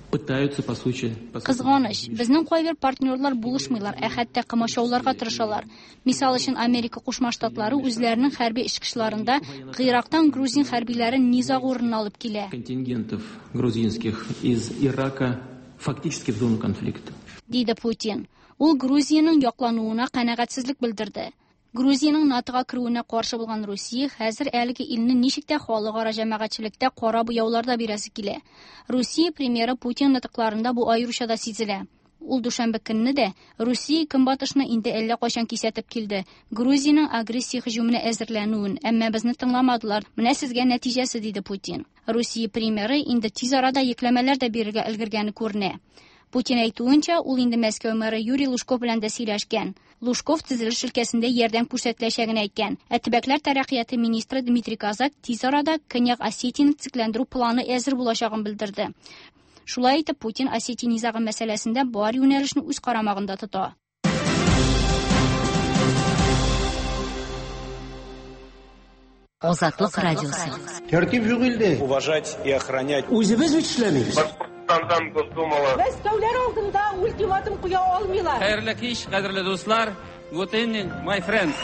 пытаются по сути... Кызганыч, безнең кайбер партнерлар булышмыйлар, ә хәтта комачауларга тырышалар. Мисал өчен, Америка Кушма Штатлары үзләренең хәрби очкычларында Гыйрактан грузин хәрбиләрен низаг урынына алып килә. Контингентов грузинских из Ирака фактически в зону конфликта. Диде Путин. Ул Грузиянең яклануына канәгатьсезлек белдерде. Грузиянең НАТОга керүенә каршы булган Русия хәзер әлеге илне ничек тә халыкара җәмәгатьчелектә кара буяуларда бирәсе килә. Русия премьеры Путин нотыкларында бу аеруча да сизелә. Ул дүшәмбе көнне дә Русия көнбатышны инде әллә кайчан кисәтеп килде. Грузиянең агрессия һөҗүменә әзерләнүен, әмма безне тыңламадылар. Менә сезгә нәтиҗәсе, диде Путин. Русия премьеры инде тиз арада йөкләмәләр дә бирергә өлгергәне күренә. Путин әйтүенчә, ул инде Мәскәү мэры Юрий Лужков белән дә сөйләшкән. Лужков төзелеш өлкәсендә ярдәм күрсәтеләчәген әйткән. Ә төбәкләр тәрәккыяте министры Дмитрий Козак тиз арада Көньяк Осетияне төзекләндерү планы әзер булачагын белдерде. Шулай итеп, Путин Осетия низагы мәсьәләсендә бар юнәлешне үз карамагында тота. Азатлык радиосы. Тәртип юк илдә. Уважать и охранять. Үзебез бит эшләмибез. Башкортстандан Госдумала. Мәскәүләр алдында ультиматум куя алмыйлар. Хәерле кич, кадерле дуслар. Good evening, my friends.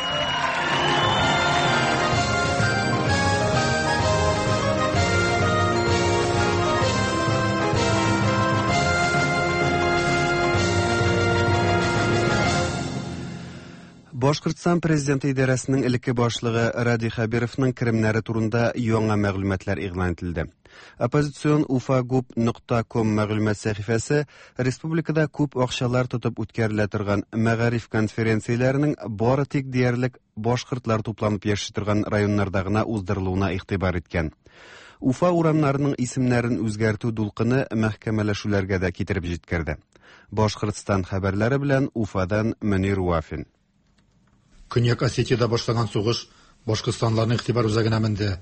Башкортстан президенты идарәсенең элекке башлыгы Радий Хәбировның керемнәре турында яңа мәгълүматлар игълан ителде. Оппозицион ufagub.com мәгълүмат сәхифәсе республикада күп акчалар тотып үткәрелә торган мәгариф конференцияләренең бары тик диярлек башкортлар тупланып яши торган районнарда гына уздырылуына игътибар иткән. Уфа урамнарының исемнәрен үзгәртү дулкыны мәхкәмәләшүләргә дә китереп җиткерде. Башкортстан хәбәрләре белән Уфадан Мөнир Вафин. Көньяк Осетиядә башланган сугыш башкортстанларның игътибар үзәгенә менде.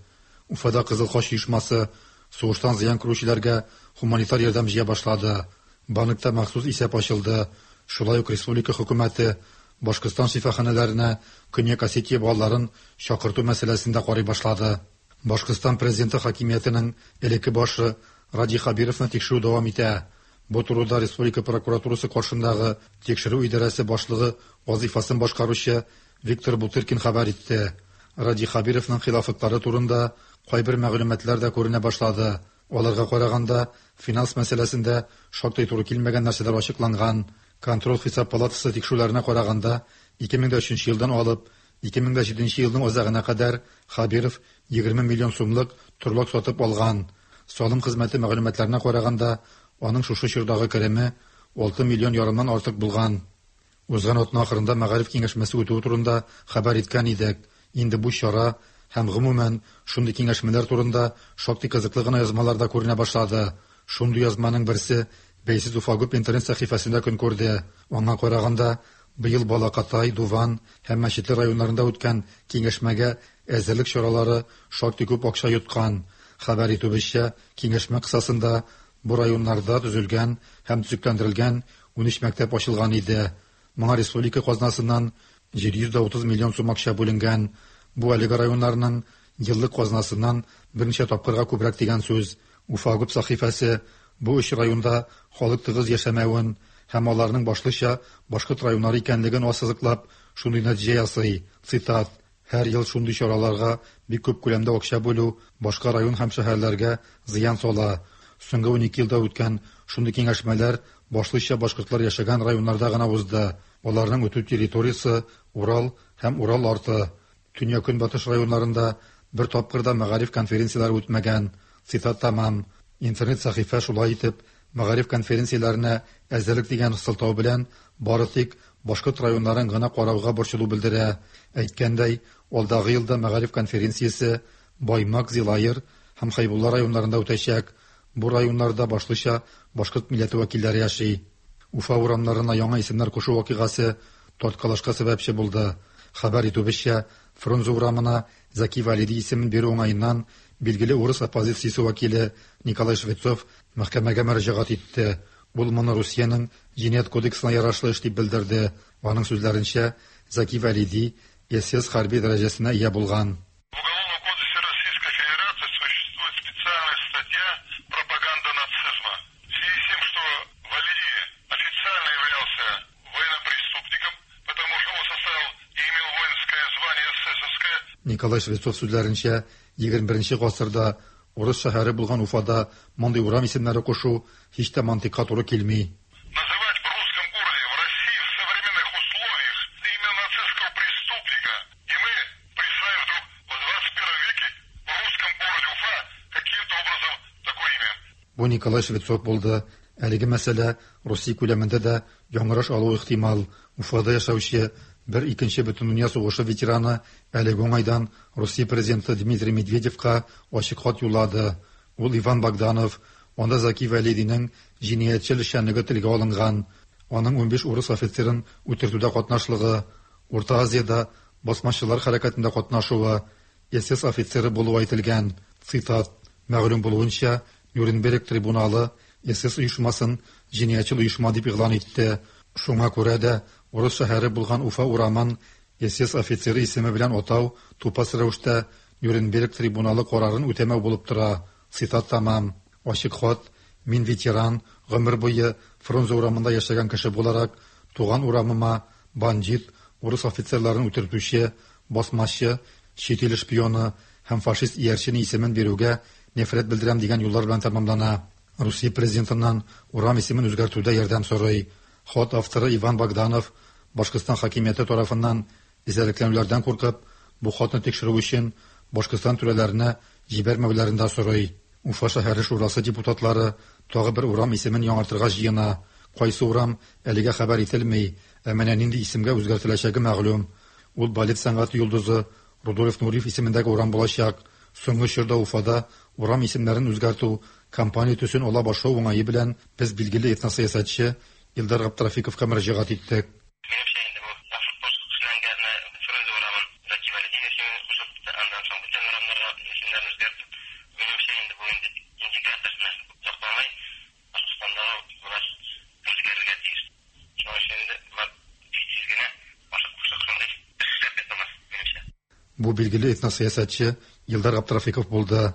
Уфада Кызыл Хач оешмасы сугыштан зыян күрүчеләргә хуманитар ярдәм җыя башлады. Банкта махсус исәп ачылды. Шулай ук республика хөкүмәте Башкортстан шифаханәләренә Көньяк Осетия балаларын чакырту мәсьәләсен дә карый башлады. Башкортстан президенты хакимиятенең элекке башы Радий Хәбировны тикшерү дәвам итә. Бу турыда республика прокуратурасы каршындагы тикшерү идарәсе башлыгы вазифасын башкаручы Виктор Бутыркин хәбәр итте. Радий Хәбировның хилафлыклары турында кайбер мәгълүматлар да күренә башлады. Аларга караганда, финанс мәсьәләсендә шактый туры килмәгән нәрсәләр ачыкланган. Контроль хисап палатасы тикшерүләренә караганда, 2003 елдан алып 2007 елның азагына кадәр Хәбиров 20 миллион сумлык торлак сатып алган. Салым хезмәте мәгълүматларына караганда, аның шушы чордагы кереме 6 миллион ярымнан артык булган. Узган атна ахырында мәгариф киңәшмәсе үтүе турында хәбәр иткән идек. Инде бу чара һәм гомумән шундый киңәшмәләр турында шактый кызыклы гына язмалар да күренә башлады. Шундый язманың берсе бәйсез Уфагуб интернет сәхифәсендә көн күрде. Аңа караганда, быел Балакатай, Дуван һәм Мәчетле районнарында үткән киңәшмәгә әзерлек чаралары шактый күп акча йоткан. Хәбәр итүебезчә, киңәшмә кысасында бу районнарда төзелгән һәм төзекләндерелгән 13 мәктәп ачылган иде. Моңа республика казнасыннан 730 миллион сум акча бүленгән. Бу әлеге районнарның еллык казнасыннан берничә тапкырга күбрәк дигән сүз. Уфагуб сәхифәсе бу өч районда халык тыгыз яшәмәвен һәм аларның башлыча башкорт районнары икәнлеген ассызыклап, шундый нәтиҗә ясый. Цитат: Һәр ел шундый чараларга бик күп күләмдә акча бүлү башка район һәм шәһәрләргә зыян сала. Соңгы 12 елда үткән шундый киңәшмәләр башлыча башкортлар яшәгән районнарда гына узды. Аларның үтү территориясе Урал һәм Урал арты. Төньяк-көнбатыш районнарында бер тапкыр да мәгариф конференцияләре үтмәгән. Цитат тәмам. Интернет сәхифә шулай итеп мәгариф конференцияләренә әзерлек дигән сылтау белән бары тик башкорт районнарын гына карауга борчылу белдерә. Әйткәндәй, алдагы елда мәгариф конференциясе Баймак, Зилаер һәм Хәйбулла районнарында үтәчәк. Бу районнарда башлыча башкорт милләте вәкилләре яши. Уфа урамнарына яңа исемнәр кушу вакыйгасы тарткалашка сәбәпче булды. Хәбәр итүебезчә, Фрунзе урамына Зәки Вәлиди исемен бирү уңаеннан билгеле урыс оппозициясе вәкиле Николай Швецов мәхкәмәгә мөрәҗәгать итте. Ул моны Русиянең Җинаять кодексына ярашлы эш дип белдерде. Аның сүзләренчә, Зәки Вәлиди СС хәрби дәрәҗәсенә ия булган. В Уголовном кодексе Российской Федерации существует специальная статья «Пропаганда нацизма». В связи с тем, что Валерий официально являлся военнопреступником, потому что он составил и имел воинское звание эсэсовское. Николай Швецов сүзләренчә, 21 гасырда урыс шәһәре булган Уфада мондый урам исемнәре кушу һич тә мантыйкка туры килми. Называть в русском городе, в России в современных условиях имя нацистского преступника, и мы присваиваем вдруг в 21 веке в русском городе Уфа каким-то образом такое имя. Бу Николай Швецов булды. Әлеге мәсьәлә Русия күләмендә дә яңгыраш алуы ихтимал. Уфада яшәүче бер икенче бөтендөнья сугышы ветераны әлеге уңайдан Русия президенты Дмитрий Медведевка ачык хат юллады. Ул Иван Богданов, анда Зәки Вәлидинең җинаятьчел эшчәнлеге телгә алынган. Аның 15 урыс офицерын үтертүдә катнашлыгы, Урта Азиядә басмачылар хәрәкәтендә катнашуы, СС офицеры булуы әйтелгән. Цитат: Мәгълүм булуынча, Нюрнберг трибуналы СС оешмасын җинаятьчел оешма дип игълан итте. Шуңа күрә дә урыс шәһәре булган Уфа урамын СС офицеры исеме белән атау тупас рәвештә Нюрнберг трибуналы карарын үтәмәү булып тора. Цитат тәмам. Ачык хат: Мин ветеран, гомер буе Фрунзе урамында яшәгән кеше буларак, туган урамыма бандит, урыс офицерларын үтертүче, басмачы, чит ил шпионы һәм фашист иярчене исемен бирүгә нәфрәт белдерәм дигән юллар белән тәмамлана. Русия президентыннан урам исемен үзгәртүдә ярдәм сорый. Хат авторы Иван Богданов Башкортстан хакимияте тарафыннан эзәрлекләнүләрдән куркып, бу хатны тикшерү өчен Башкортстан түрәләренә җибәрмәүләрен дә сорый. Уфа шәһәре шурасы депутатлары тагы бер урам исемен яңартырга җыена. Кайсы урам әлегә хәбәр ителми, ә менә нинди исемгә үзгәртеләчәге мәгълүм. Ул балет сәнгате йолдызы Рудольф Нуриев исемендәге урам булачак. Соңгы чорда Уфада урам исемнәрен үзгәртү кампания төсен ала башлау уңае белән без билгеле этносәясәтче Илдар Габдрафиковка мөрәҗәгать иттек. Минемчә инде бу башкорт эшләнгәне Фрунзе урамын Зәки Вәлидин исемен кушып, аннан соң бүтән урамнарга исемнәрен үзгәртеп, минемчә инде бу инде индикатор озакламый Башкортстандагы власть үзгәрергә тиеш. Шуның өчен инде болар тиз-тиз генә ашык-пошык шундый эш эшләп яталар, минемчә. Бу билгеле этносәясәтче Илдар Габдрафиков булды.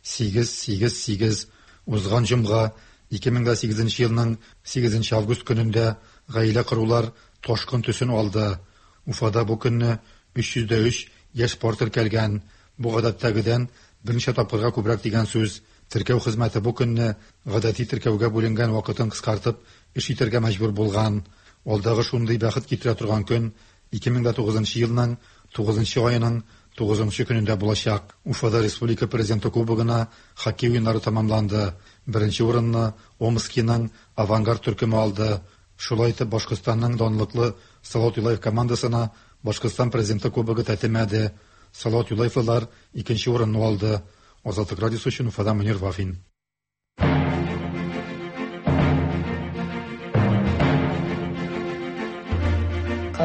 8 8 8 Узган җомга, 2008 елның 8 август көнендә гаилә корулар ташкын төсен алды. Уфада бу көнне 303 яшь пар теркәлгән. Бу гадәттәгедән берничә тапкырга күбрәк дигән сүз. Теркәү хезмәте бу көнне гадәти теркәүгә бүленгән вакытын кыскартып эш итәргә мәҗбүр булган. Алдагы шундый бәхет китерә торган көн 2009 елның 9 аеның 9 көнендә булачак. Уфада Республика Президенты Кубогына хоккей уеннары тәмамланды. Беренче урынны Омскиның Авангард төркеме алды. Шулай итеп, Башкортстанның данлыклы Салават Юлаев командасына Башкортстан Президенты Кубогы тәтемәде. Салават Юлаевлылар икенче урынны алды. Азатлык радиосы өчен Уфадан Мөнир Вафин.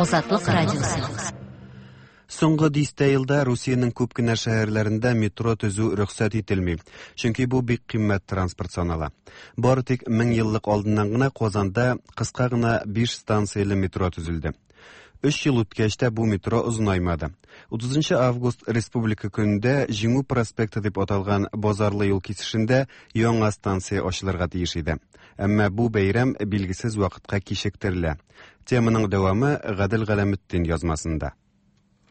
Азатлык радиосы. Соңгы дистә елда Русиянең күп кенә шәһәрләрендә метро төзү рөхсәт ителми, чөнки бу бик кыйммәт транспорт санала. Бары тик 1000 еллык алдыннан гына Казанда кыска гына 5 станцияле метро төзелде. Өч ел үткәч тә бу метро озынаймады. 30 август Республика көнендә Җиңү проспекты дип аталган базарлы юл кисешендә яңа станция ачылырга тиеш иде. Әмма бу бәйрәм билгесез вакытка кичектерелә. Теманың дәвамы Гадел Галәметдин язмасында.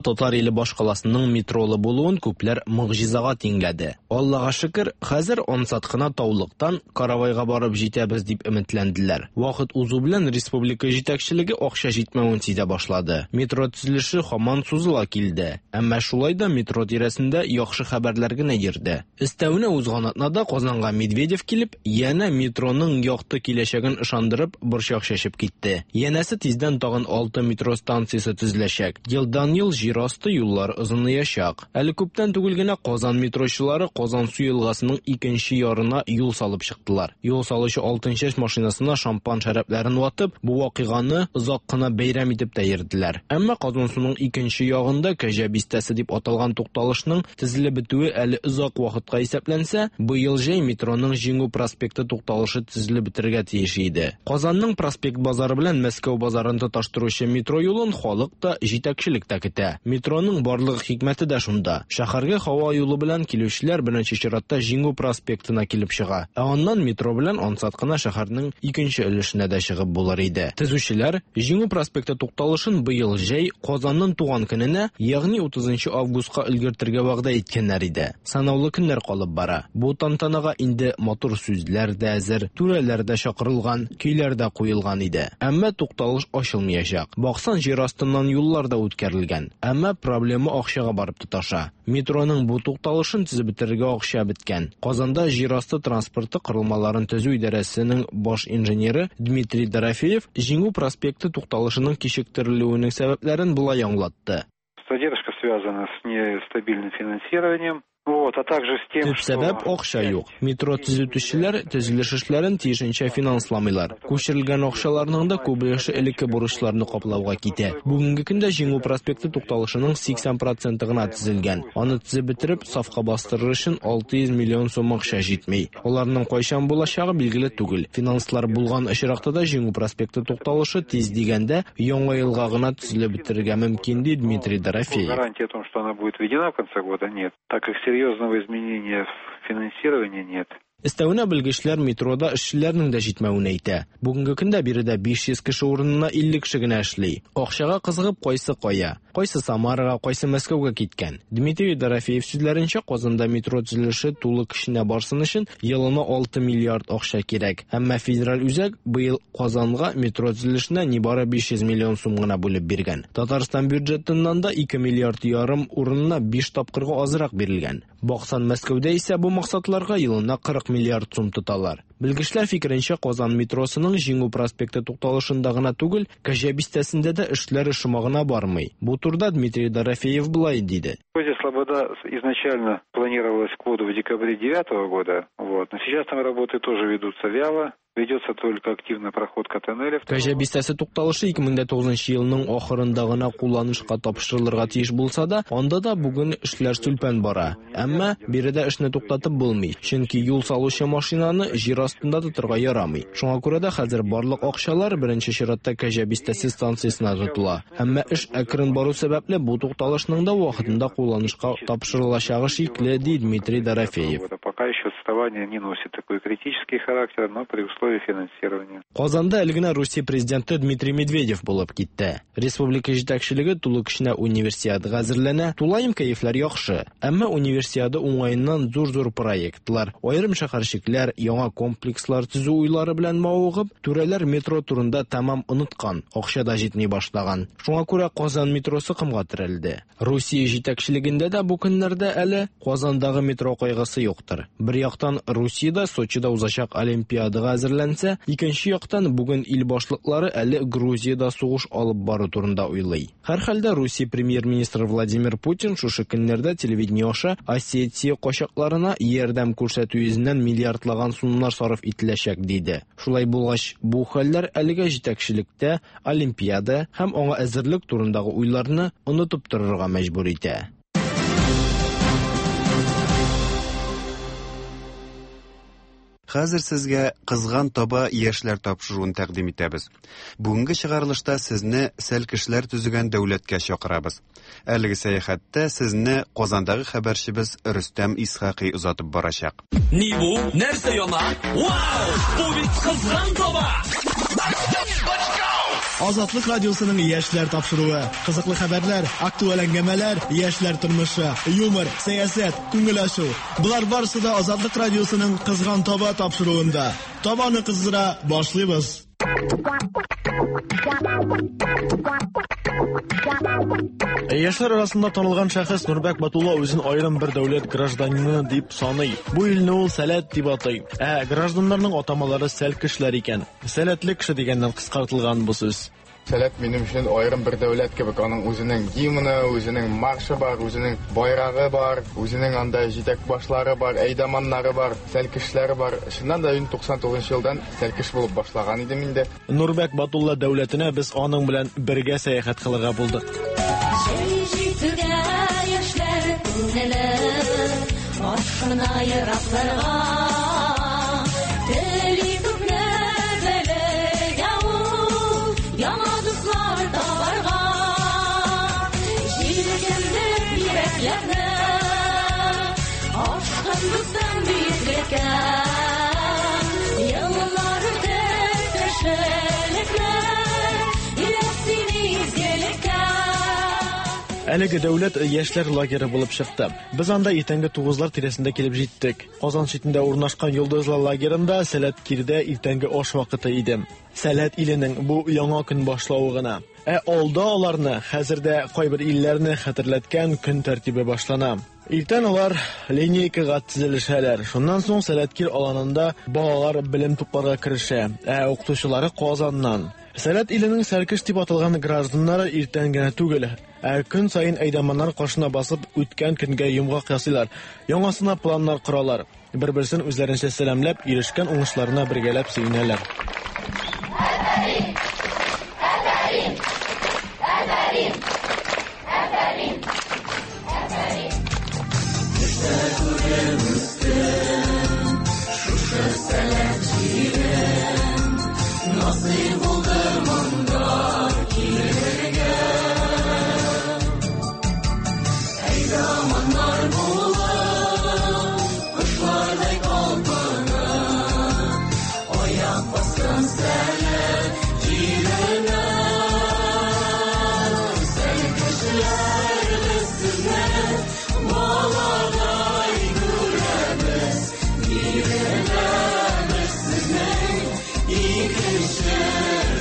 Татар иле башкаласының метролы булуын күпләр могҗизага тиңләде. Аллага шөкер, хәзер ансат кына Таулыктан Каравайга барып җитәбез дип өметләнделәр. Вакыт узу белән республика җитәкчелеге акча җитмәвен сизә башлады. Метро төзелеше һаман сузыла килде. Әмма шулай да метро тирәсендә яхшы хәбәрләр генә йөрде. Өстәвенә узган атнада Казанга Медведев килеп, янә метроның якты киләчәген ышандырып, борчак чәчеп китте. Янәсе тиздән тагын 6 метро станциясе төзеләчәк. Елдан-ел җир асты юллар озынаячак. Әле күптән түгел генә Казан метрочылары Казансу елгасының икенче ярына юл салып чыктылар. Юл салучы Алтынчәч машинасына шампан шәрабләрен ватып, бу вакыйганы озак кына бәйрәм итеп тә йөрделәр. Әмма Казансуның икенче ягында Кәҗә бистәсе дип аталган тукталышның Төзелеп бетүе әле озак вакытка исәпләнсә, быел җәй метроның Җиңү проспекты тукталышы төзелеп бетергә тиеш иде. Казанның Проспект базары белән Мәскәү базарын тоташтыручы метро юлын халык та, җитәкчелек тә көтә. Метроның барлык хикмәте дә шунда. Шәһәргә һава юлы белән килүчеләр беренче чиратта Җиңү проспектына килеп чыга. Ә аннан метро белән ансат кына шәһәрнең икенче өлешенә дә чыгып булыр иде. Төзүчеләр Җиңү проспекты тукталышын быел җәй Казанның туган көненә, ягъни 30 августка өлгертергә вәгъдә иткәннәр иде. Санаулы көннәр калып бара. Бу тантанага инде матур сүзләр дә әзер, түрәләр дә чакырылган, көйләр дә куелган иде. Әмма тукталыш ачылмыячак. Баксаң, җир астыннан юллар да үткәрелгән. Әмма проблема акчага барып тоташа. Метроның бу тукталышын төзеп бетерергә акча беткән. Казанда җир асты транспорты корылмаларын төзү идарәсенең баш инженеры Дмитрий Дорофеев Җиңү проспекты тукталышының кичектерелүенең сәбәпләрен болай аңлатты. Задержка связана с нестабильным финансированием. Вот, а также с тем, Төп сәбәп акча юк. Метро төзүтүчеләр төзелеш эшләрен тиешенчә финансламыйлар. Күчерелгән акчаларның да күп өлеше элекке бурычларны каплауга китә. Бүгенге көндә Җиңү проспекты тукталышының 80 проценты гына төзелгән. Аны төзеп бетереп, сафка бастырыр өчен 600 миллион сум акча җитми. Аларның кайчан булачагы билгеле түгел. Финанслар булган очракта да Җиңү проспекты тукталышы тиз дигәндә Яңа елга гына төзелеп бетерергә мөмкин, ди Дмитрий Дорофеев. Гарантии о том, что она будет введена в конце года, нет, так как серьезного изменения в финансировании нет. Өстәвенә белгечләр метрода эшчеләрнең дә җитмәвен әйтә. Бүгенге көндә биредә 500 кеше урынына 50 кеше генә эшли. Акчага кызыгып кайсы кая, кайсы Самарага, кайсы Мәскәүгә киткән. Дмитрий Дорофеев сүзләренчә, Казанда метро төзелеше тулы көченә барсын өчен елына 6 миллиард акча кирәк. Әмма федераль үзәк быел Казанга метро төзелешенә нибары 500 миллион сум гына бүлеп биргән. Татарстан бюджетыннан да 2 миллиард ярым урынына 5 тапкырга азрак бирелгән. Баксан, Мәскәүдә исә бу максатларга елына 40 миллиард сум тоталар. Белгечләр фикеренчә, Казан метросының Җиңү проспекты тукталышында гына түгел, Кәҗә бистәсендә дә эшләр шома гына бармый. Бу турыда Дмитрий Дорофеев болай диде. Козья Слобода изначально планировалась к вводу в декабре девятого года, вот. Но сейчас там работы тоже ведутся вяло. Ведется только активная проходка тоннеля. Кәҗә бистәсе тукталышы 2009 елның ахырында гына кулланышка тапшырылырга тиеш булса да, анда да бүген эшләр сүлпән бара. Әмма биредә эшне туктатып булмый, чөнки юл салучы машинаны җир астында тотырга ярамый. Шуңа күрә дә хәзер барлык акчалар беренче чиратта Кәҗә бистәсе станциясенә тотыла. Әмма эш әкрен бару сәбәпле, бу тукталышның да вакытында кулланышка тапшырылачагы шикле, ди Дмитрий Дорофеев. Пока еще отставание не носит такой критический характер, но при условии финансирования. Казанда әле генә Русия президенты Дмитрий Медведев булып китте. Республика җитәкчелеге тулы көченә универсиадага әзерләнә, тулаем кәефләр яхшы. Әмма универсиада уңаеннан зур-зур проектлар, аерым шәһәрчекләр, яңа комплекслар төзү уйлары белән мавыгып, түрәләр метро турында тәмам оныткан, акча да җитми башлаган. Шуңа күрә Казан метросы комга терәлде. Русия җитәкчелегендә дә бу көннәрдә әле Казандагы метро кайгысы юктыр. Бер яктан, яктан Русиядә Сочида узачак Олимпиадага әзерләнсә, икенче яктан бүген ил башлыклары әле Грузиядә сугыш алып бару турында уйлый. Һәрхәлдә Русия премьер-министры Владимир Путин шушы көннәрдә телевидение аша Осетия качакларына ярдәм күрсәтү йөзеннән миллиардлаган сумнар сарыф ителәчәк диде. Шулай булгач, бу хәлләр әлегә җитәкчелектә Олимпиада һәм аңа әзерлек турындагы уйларны онытып торырга мәҗбүр итә. Хәзер сезгә Кызган таба яшьләр тапшыруын тәкъдим итәбез. Бүгенге чыгарылышта сезне сәлкешләр төзегән дәүләткә чакырабыз. Әлеге сәяхәттә сезне Казандагы хәбәрчебез Рөстәм Исхакый озатып барачак. Ни бу? Нәрсә яна? Вау! Бу бит кызган таба! Азатлык радиосының яшьләр тапшыруы. Кызыклы хәбәрләр, актуаль әңгәмәләр, яшьләр тормышы, юмор, сәясәт, күңел ачу. Болар барысы да Азатлык радиосының Кызган таба тапшыруында. Табаны кыздыра башлыйбыз. Яшьләр арасында танылган шәхес Нурбәк Батулла үзен аерым бер дәүләт гражданины дип саный. Бу илне ул Сәләт дип атый. Ә гражданнарның атамалары сәлкешләр икән. Сәләтле кеше дигәннән кыскартылган бу сүз. Сәләт минем өчен аерым бер дәүләт кебек. Аның үзенең гимны, үзенең маршы бар, үзенең байрагы бар, үзенең анда җитәк башлары бар, әйдаманнары бар, сәлкешләре бар. Чыннан да мин 99 елдан сәлкеш булып башлаган идем инде. Нурбәк Батулла дәүләтенә без аның белән бергә сәяхәт кылырга булдык. Җәй җитүгә яшьләр күңеле ашкына еракларга. Тели күпне белергә ул, яңа дуслар табарга. Җилкендереп йөрәкләрне, ашкын дустым биеклеккә. Еллар үтеп кешелекне, өйрәт сине изгелеккә. Әлеге дәүләт яшьләр лагере булып чыкты. Без анда иртәнге 9-лар тирәсендә килеп җиттек. Казан читендә урнашкан Йолдызлы лагерында Сәләт Кирдә иртәнге аш вакыты иде. Сәләт иленең бу яңа көн башлавы гына. Ә алда аларны хәзер дә кайбер илләрне хәтерләткән көн тәртибе башлана. Иртән алар линейкага тезелешәләр. Шуннан соң Сәләткир аланында балалар белем тупларга керешә, ә укытучылары Казаннан. Сәләт иленең сәлкеш дип аталган гражданнары иртән генә түгел, ә көн саен әйдаманнар каршына басып үткән көнгә йомгак ясыйлар, яңасына планнар коралар. Бер-берсен үзләренчә сәламләп, ирешкән уңышларына бергәләп сөенәләр. Афәрин! Афәрин! Афәрин! Афәрин! Афәрин! Төштә күреп үстем, шушы Сәләт җирен. Насыйп булды монда килергә. Әйдаманнар булып, кошлардай талпынып, аяк бастым Сәләт җиренә. Сәлкешләр без сезне баладай күрәбез, биреләбез сезнең икенче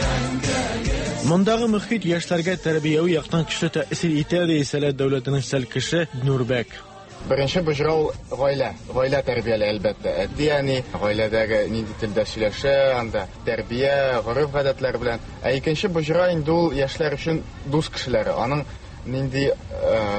рәңкәгез. Мондагы мөхит яшьләргә тәрбияви яктан көчле тәэсир итә, ди Сәләт дәүләтенең сәлкеше Нурбәк. Беренче боҗра ул гаилә. Гаилә тәрбияли, әлбәттә. Әти-әни гаиләдәге нинди телдә сөйләшә, анда тәрбия, гореф-гадәтләр белән. Ә икенче боҗра инде ул яшьләр өчен дус кешеләре. Аның нинди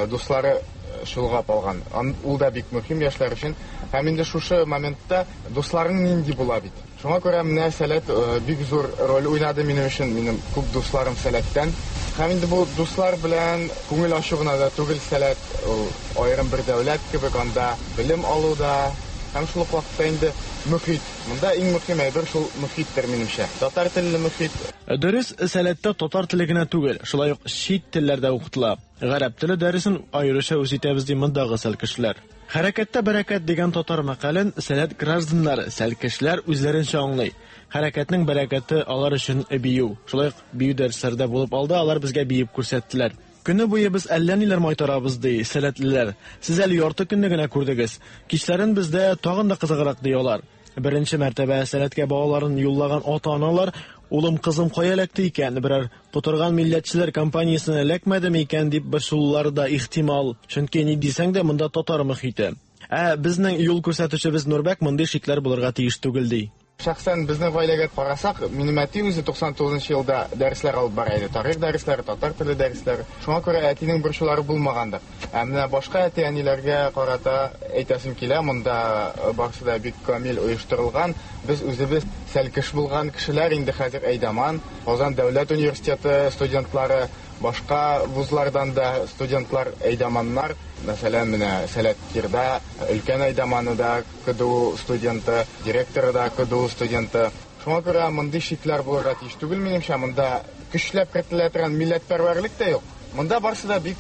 дуслары чолгап алган. Ул да бик мөһим яшьләр өчен. Һәм инде шушы моментта дусларың нинди була бит. Шуңа күрә менә Сәләт бик зур роль уйнады минем өчен. Минем күп дусларым Сәләттән. Һәм инде бу дуслар белән күңел ачу гына да түгел Сәләт, ул аерым бер дәүләт кебек, анда белем алу да, һәм шул ук вакытта инде мөхит. Монда иң мөһим әйбер шул мөхиттер минемчә. Татар телле мөхит. Дөрес, Сәләттә татар теле генә түгел, шулай ук чит телләрдә укытыла. Гарәп теле дәресен аеруча үз итәбез ди мондагы сәлкешләр. Хәрәкәттә бәрәкәт дигән татар мәкален Сәләт гражданнары, сәлкешләр үзләренчә аңлый. Хәрәкәтнең бәрәкәте алар өчен бию. Шулай ук бию дәресләре дә булып алды, алар безгә биеп күрсәттеләр. Көне буе без әллә ниләр майтарабыз, ди сәләтлеләр. Сез әле ярты көнне генә күрдегез. Кичләрен бездә тагын да кызыграк, ди алар. Беренче мәртәбә Сәләткә балаларын юллаган ата-аналар, улым, кызым кая эләкте икән, берәр котырган милләтчеләр компаниясенә эләкмәдеме икән дип борчылулары да ихтимал. Чөнки ни дисәң дә монда татар мөхите. Ә безнең юл күрсәтүчебез Нурбәк мондый шикләр булырга тиеш түгел ди. Шәхсән безнең гаиләгә карасак, минем әти үзе 99 нчы елда дәресләр алып бара иде. Тарих дәресләре, татар теле дәресләре. Шуңа күрә әтинең борчулары булмагандыр. Ә менә башка әти-әниләргә карата әйтәсем килә, монда барысы да бик камил оештырылган. Без үзебез сәлкеш булган кешеләр, инде хәзер әйдаман, Казан дәүләт университеты студентлары, Башка вузлардан да студентлар әйдаманнар. Мәсәлән, менә Сәләт Кирда өлкән әйдаманы да КДУ студенты, директоры да КДУ студенты. Шуңа күрә мондый шикләр булырга тиеш түгел, минемчә. Монда көчләп кертелә торган милләтпәрвәрлек тә юк. Монда барысы да бик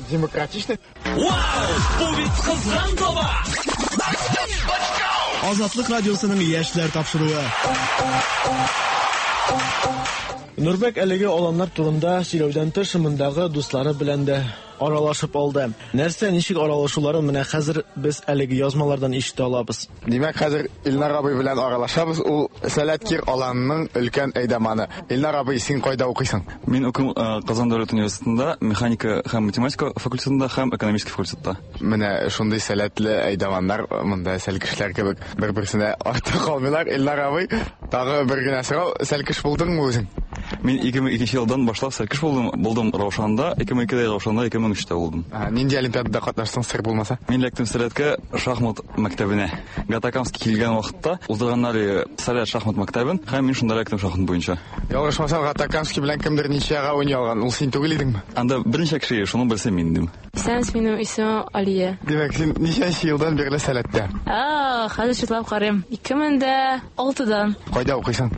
демократичный. Вау! Бу бит кызган таба! Азатлык радиосының яшьләр тапшыруы. Нурбәк әлеге аланнар турында сөйләүдән тыш, мондагы дуслары белән дә аралашып алды. Нәрсә, ничек аралашуларын менә хәзер без әлеге язмалардан ишетә алабыз. Димәк, хәзер Илнар абый белән аралашабыз. Ул Сәләт Кир аланының өлкән әйдаманы. Илнар абый, син кайда укыйсың? Мин укыйм Казан дәүләт университетында, механика һәм математика факультетында һәм экономический факультетта. Менә шундый сәләтле әйдаманнар монда сәлкешләр кебек бер-берсенә артта калмыйлар. Илнар абый, тагы бер генә сорау, сәлкеш булдыңмы үзең? Мин 2002 елдан башлап сәлкеш булдым. Булдым Раушанда, 2002-дә Раушанда, 2003-тә булдым. Нинди олимпиадада катнаштың, сер булмаса? Мин эләктем сәләткә шахмат мәктәбенә. Гатакамский килгән вакытта уздырганнар Сәләт шахмат мәктәбен, һәм мин шунда эләктем шахмат буенча. Ялгышмасам, Гатакамский белән кемдер ничьяга уйный алган. Ул син түгел идеңме? Анда берничә кеше, шуның берсе мин идем. Исәнмесез, минем исемем Алия. Димәк, син ничәнче елдан бирле Сәләттә? А, хәзер чутлап карыйм. 2006-дан. Кайда укыйсың?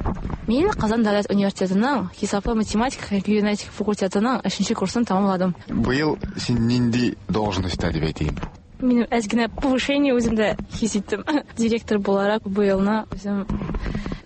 Мин Казан дәүләт университетының хисаплы математика һәм кибернетика факультетының өченче курсын тәмамладым. Быел син нинди должностьта дип әйтим? Минем әз генә повышение үземдә хис иттем. Директор буларак быелны үзем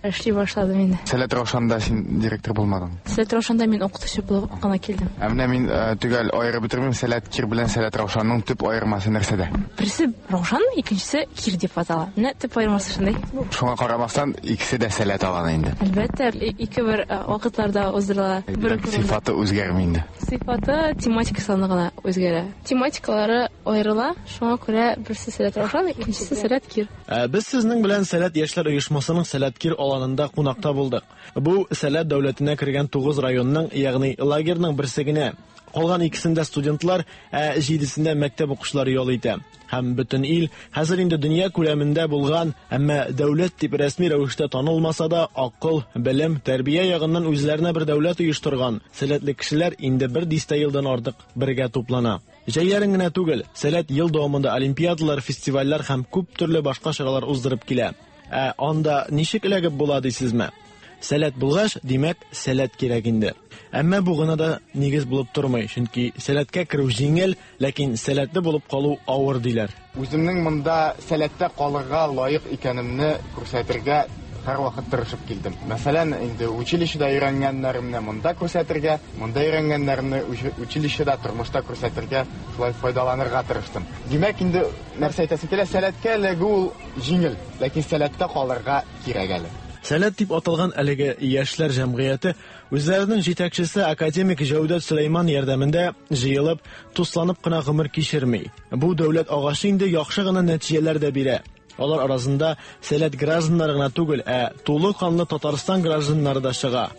эшли башладым инде. Сәләт Раушанда син директор булмадың? Сәләт Раушанда мин укытучы булып кына килдем. Ә менә мин төгәл аерып бетермим, Сәләт Кир белән Сәләт Раушанның төп аермасы нәрсәдә? Берсе Раушан, икенчесе Кир дип атала. Менә төп аермасы шундый. Шуңа карамастан, икесе дә Сәләт аланы инде. Әлбәттә, ике бер вакытларда уздырыла. Бер үк урында. Сыйфаты үзгәрми инде. Сыйфаты тематикасы гына үзгәрә. Тематикалары аерыла, шуңа күрә берсе Сәләт Раушан, икенчесе Сәләт Кир. Ә без сезнең белән Сәләт яшьләр оешмасының Сәләт Кир аланында кунакта булдык. Бу Сәләт дәүләтенә кергән 9 районның, ягъни лагерьның берсе генә. Калган икесендә студентлар, ә җидесендә мәктәп укучылары ял итә. Һәм бөтен ил хәзер инде дөнья күләмендә булган, әмма дәүләт дип рәсми рәвештә танылмаса да, акыл, белем, тәрбия ягыннан үзләренә бер дәүләт оештырган сәләтле кешеләр инде бер дистә елдан артык бергә туплана. Җәйләрен генә түгел, Сәләт ел дәвамында олимпиадалар, фестивальләр һәм күп төрле башка чаралар уздырып килә. Ә анда ничек эләгеп була дисезме? Сәләт булгач, димәк, сәләт кирәк инде. Әмма бу гына да нигез булып тормый, чөнки сәләткә керү җиңел, ләкин сәләтле булып калу авыр диләр. Үземнең монда сәләттә калырга лаек икәнемне күрсәтергә һәрвакыт тырышып килдем. Мәсәлән, инде училищеда өйрәнгәннәремне монда күрсәтергә, монда өйрәнгәннәремне училищеда, тормышта күрсәтергә, шулай файдаланырга тырыштым. Димәк, инде нәрсә әйтәсем килә, сәләткә эләгү ул җиңел, ләкин сәләттә калырга кирәк әле. Сәләт дип аталган әлеге яшьләр җәмгыяте үзләренең җитәкчесе академик Җәүдәт Сөләйман ярдәмендә җыелып, тусланып кына гомер кичерми. Бу дәүләт агачы инде яхшы гына нәтиҗәләр дә бирә. Алар арасында Сәләт гражданнары гына түгел, ә тулы канлы Татарстан гражданнары да чыга.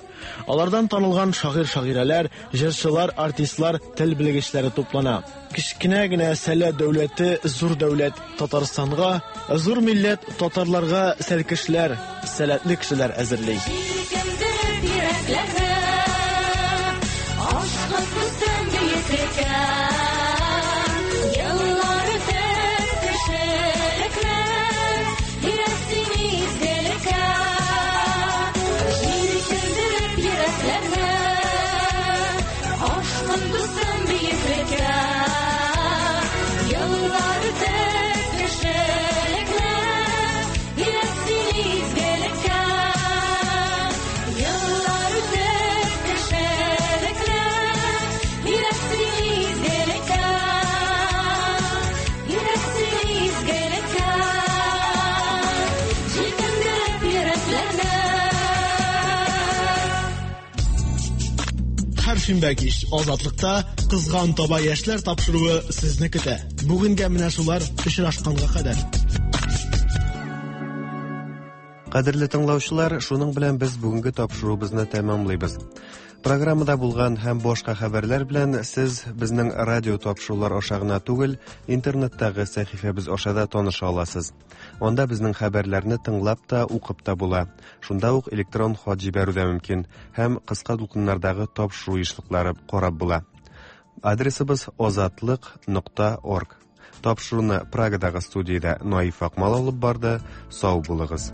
Алардан танылган шагыйрь-шагыйрәләр, җырчылар, артистлар, тел белгечләре туплана. Кечкенә генә Сәләт дәүләте зур дәүләт Татарстанга, зур милләт татарларга сәлкешләр, сәләтле кешеләр әзерли. Җилкендереп йөрәкләрне, ашкын дустым бөеклеккә. Еллар үтеп кешелекне, өйрәт син изгелеккә. Җилкендереп йөрәкләрне, ашкын дустым бөеклеккә. Еллар үтеп кешелекне, өйрәт син изгелеккә. Һәр шимбә кич Азатлыкта Кызган таба яшьләр тапшыруы сезне көтә. Бүгенгә менә шулар, очрашканга кадәр. Кадерле тыңлаучылар, шуның белән без бүгенге тапшыруыбызны тәмамлыйбыз. Программада булган һәм башка хәбәрләр белән сез безнең радио тапшырулар аша гына түгел, интернеттагы сәхифәбез аша да таныша аласыз. Анда безнең хәбәрләрне тыңлап та, укып та була. Шунда ук электрон хат җибәрү дә мөмкин һәм кыска дулкыннардагы тапшыру ешлыклары карап була. Адресыбыз озатлык.орг. Тапшыруны Прагадагы студиядә Наиф Акмал алып барды. Сау булыгыз.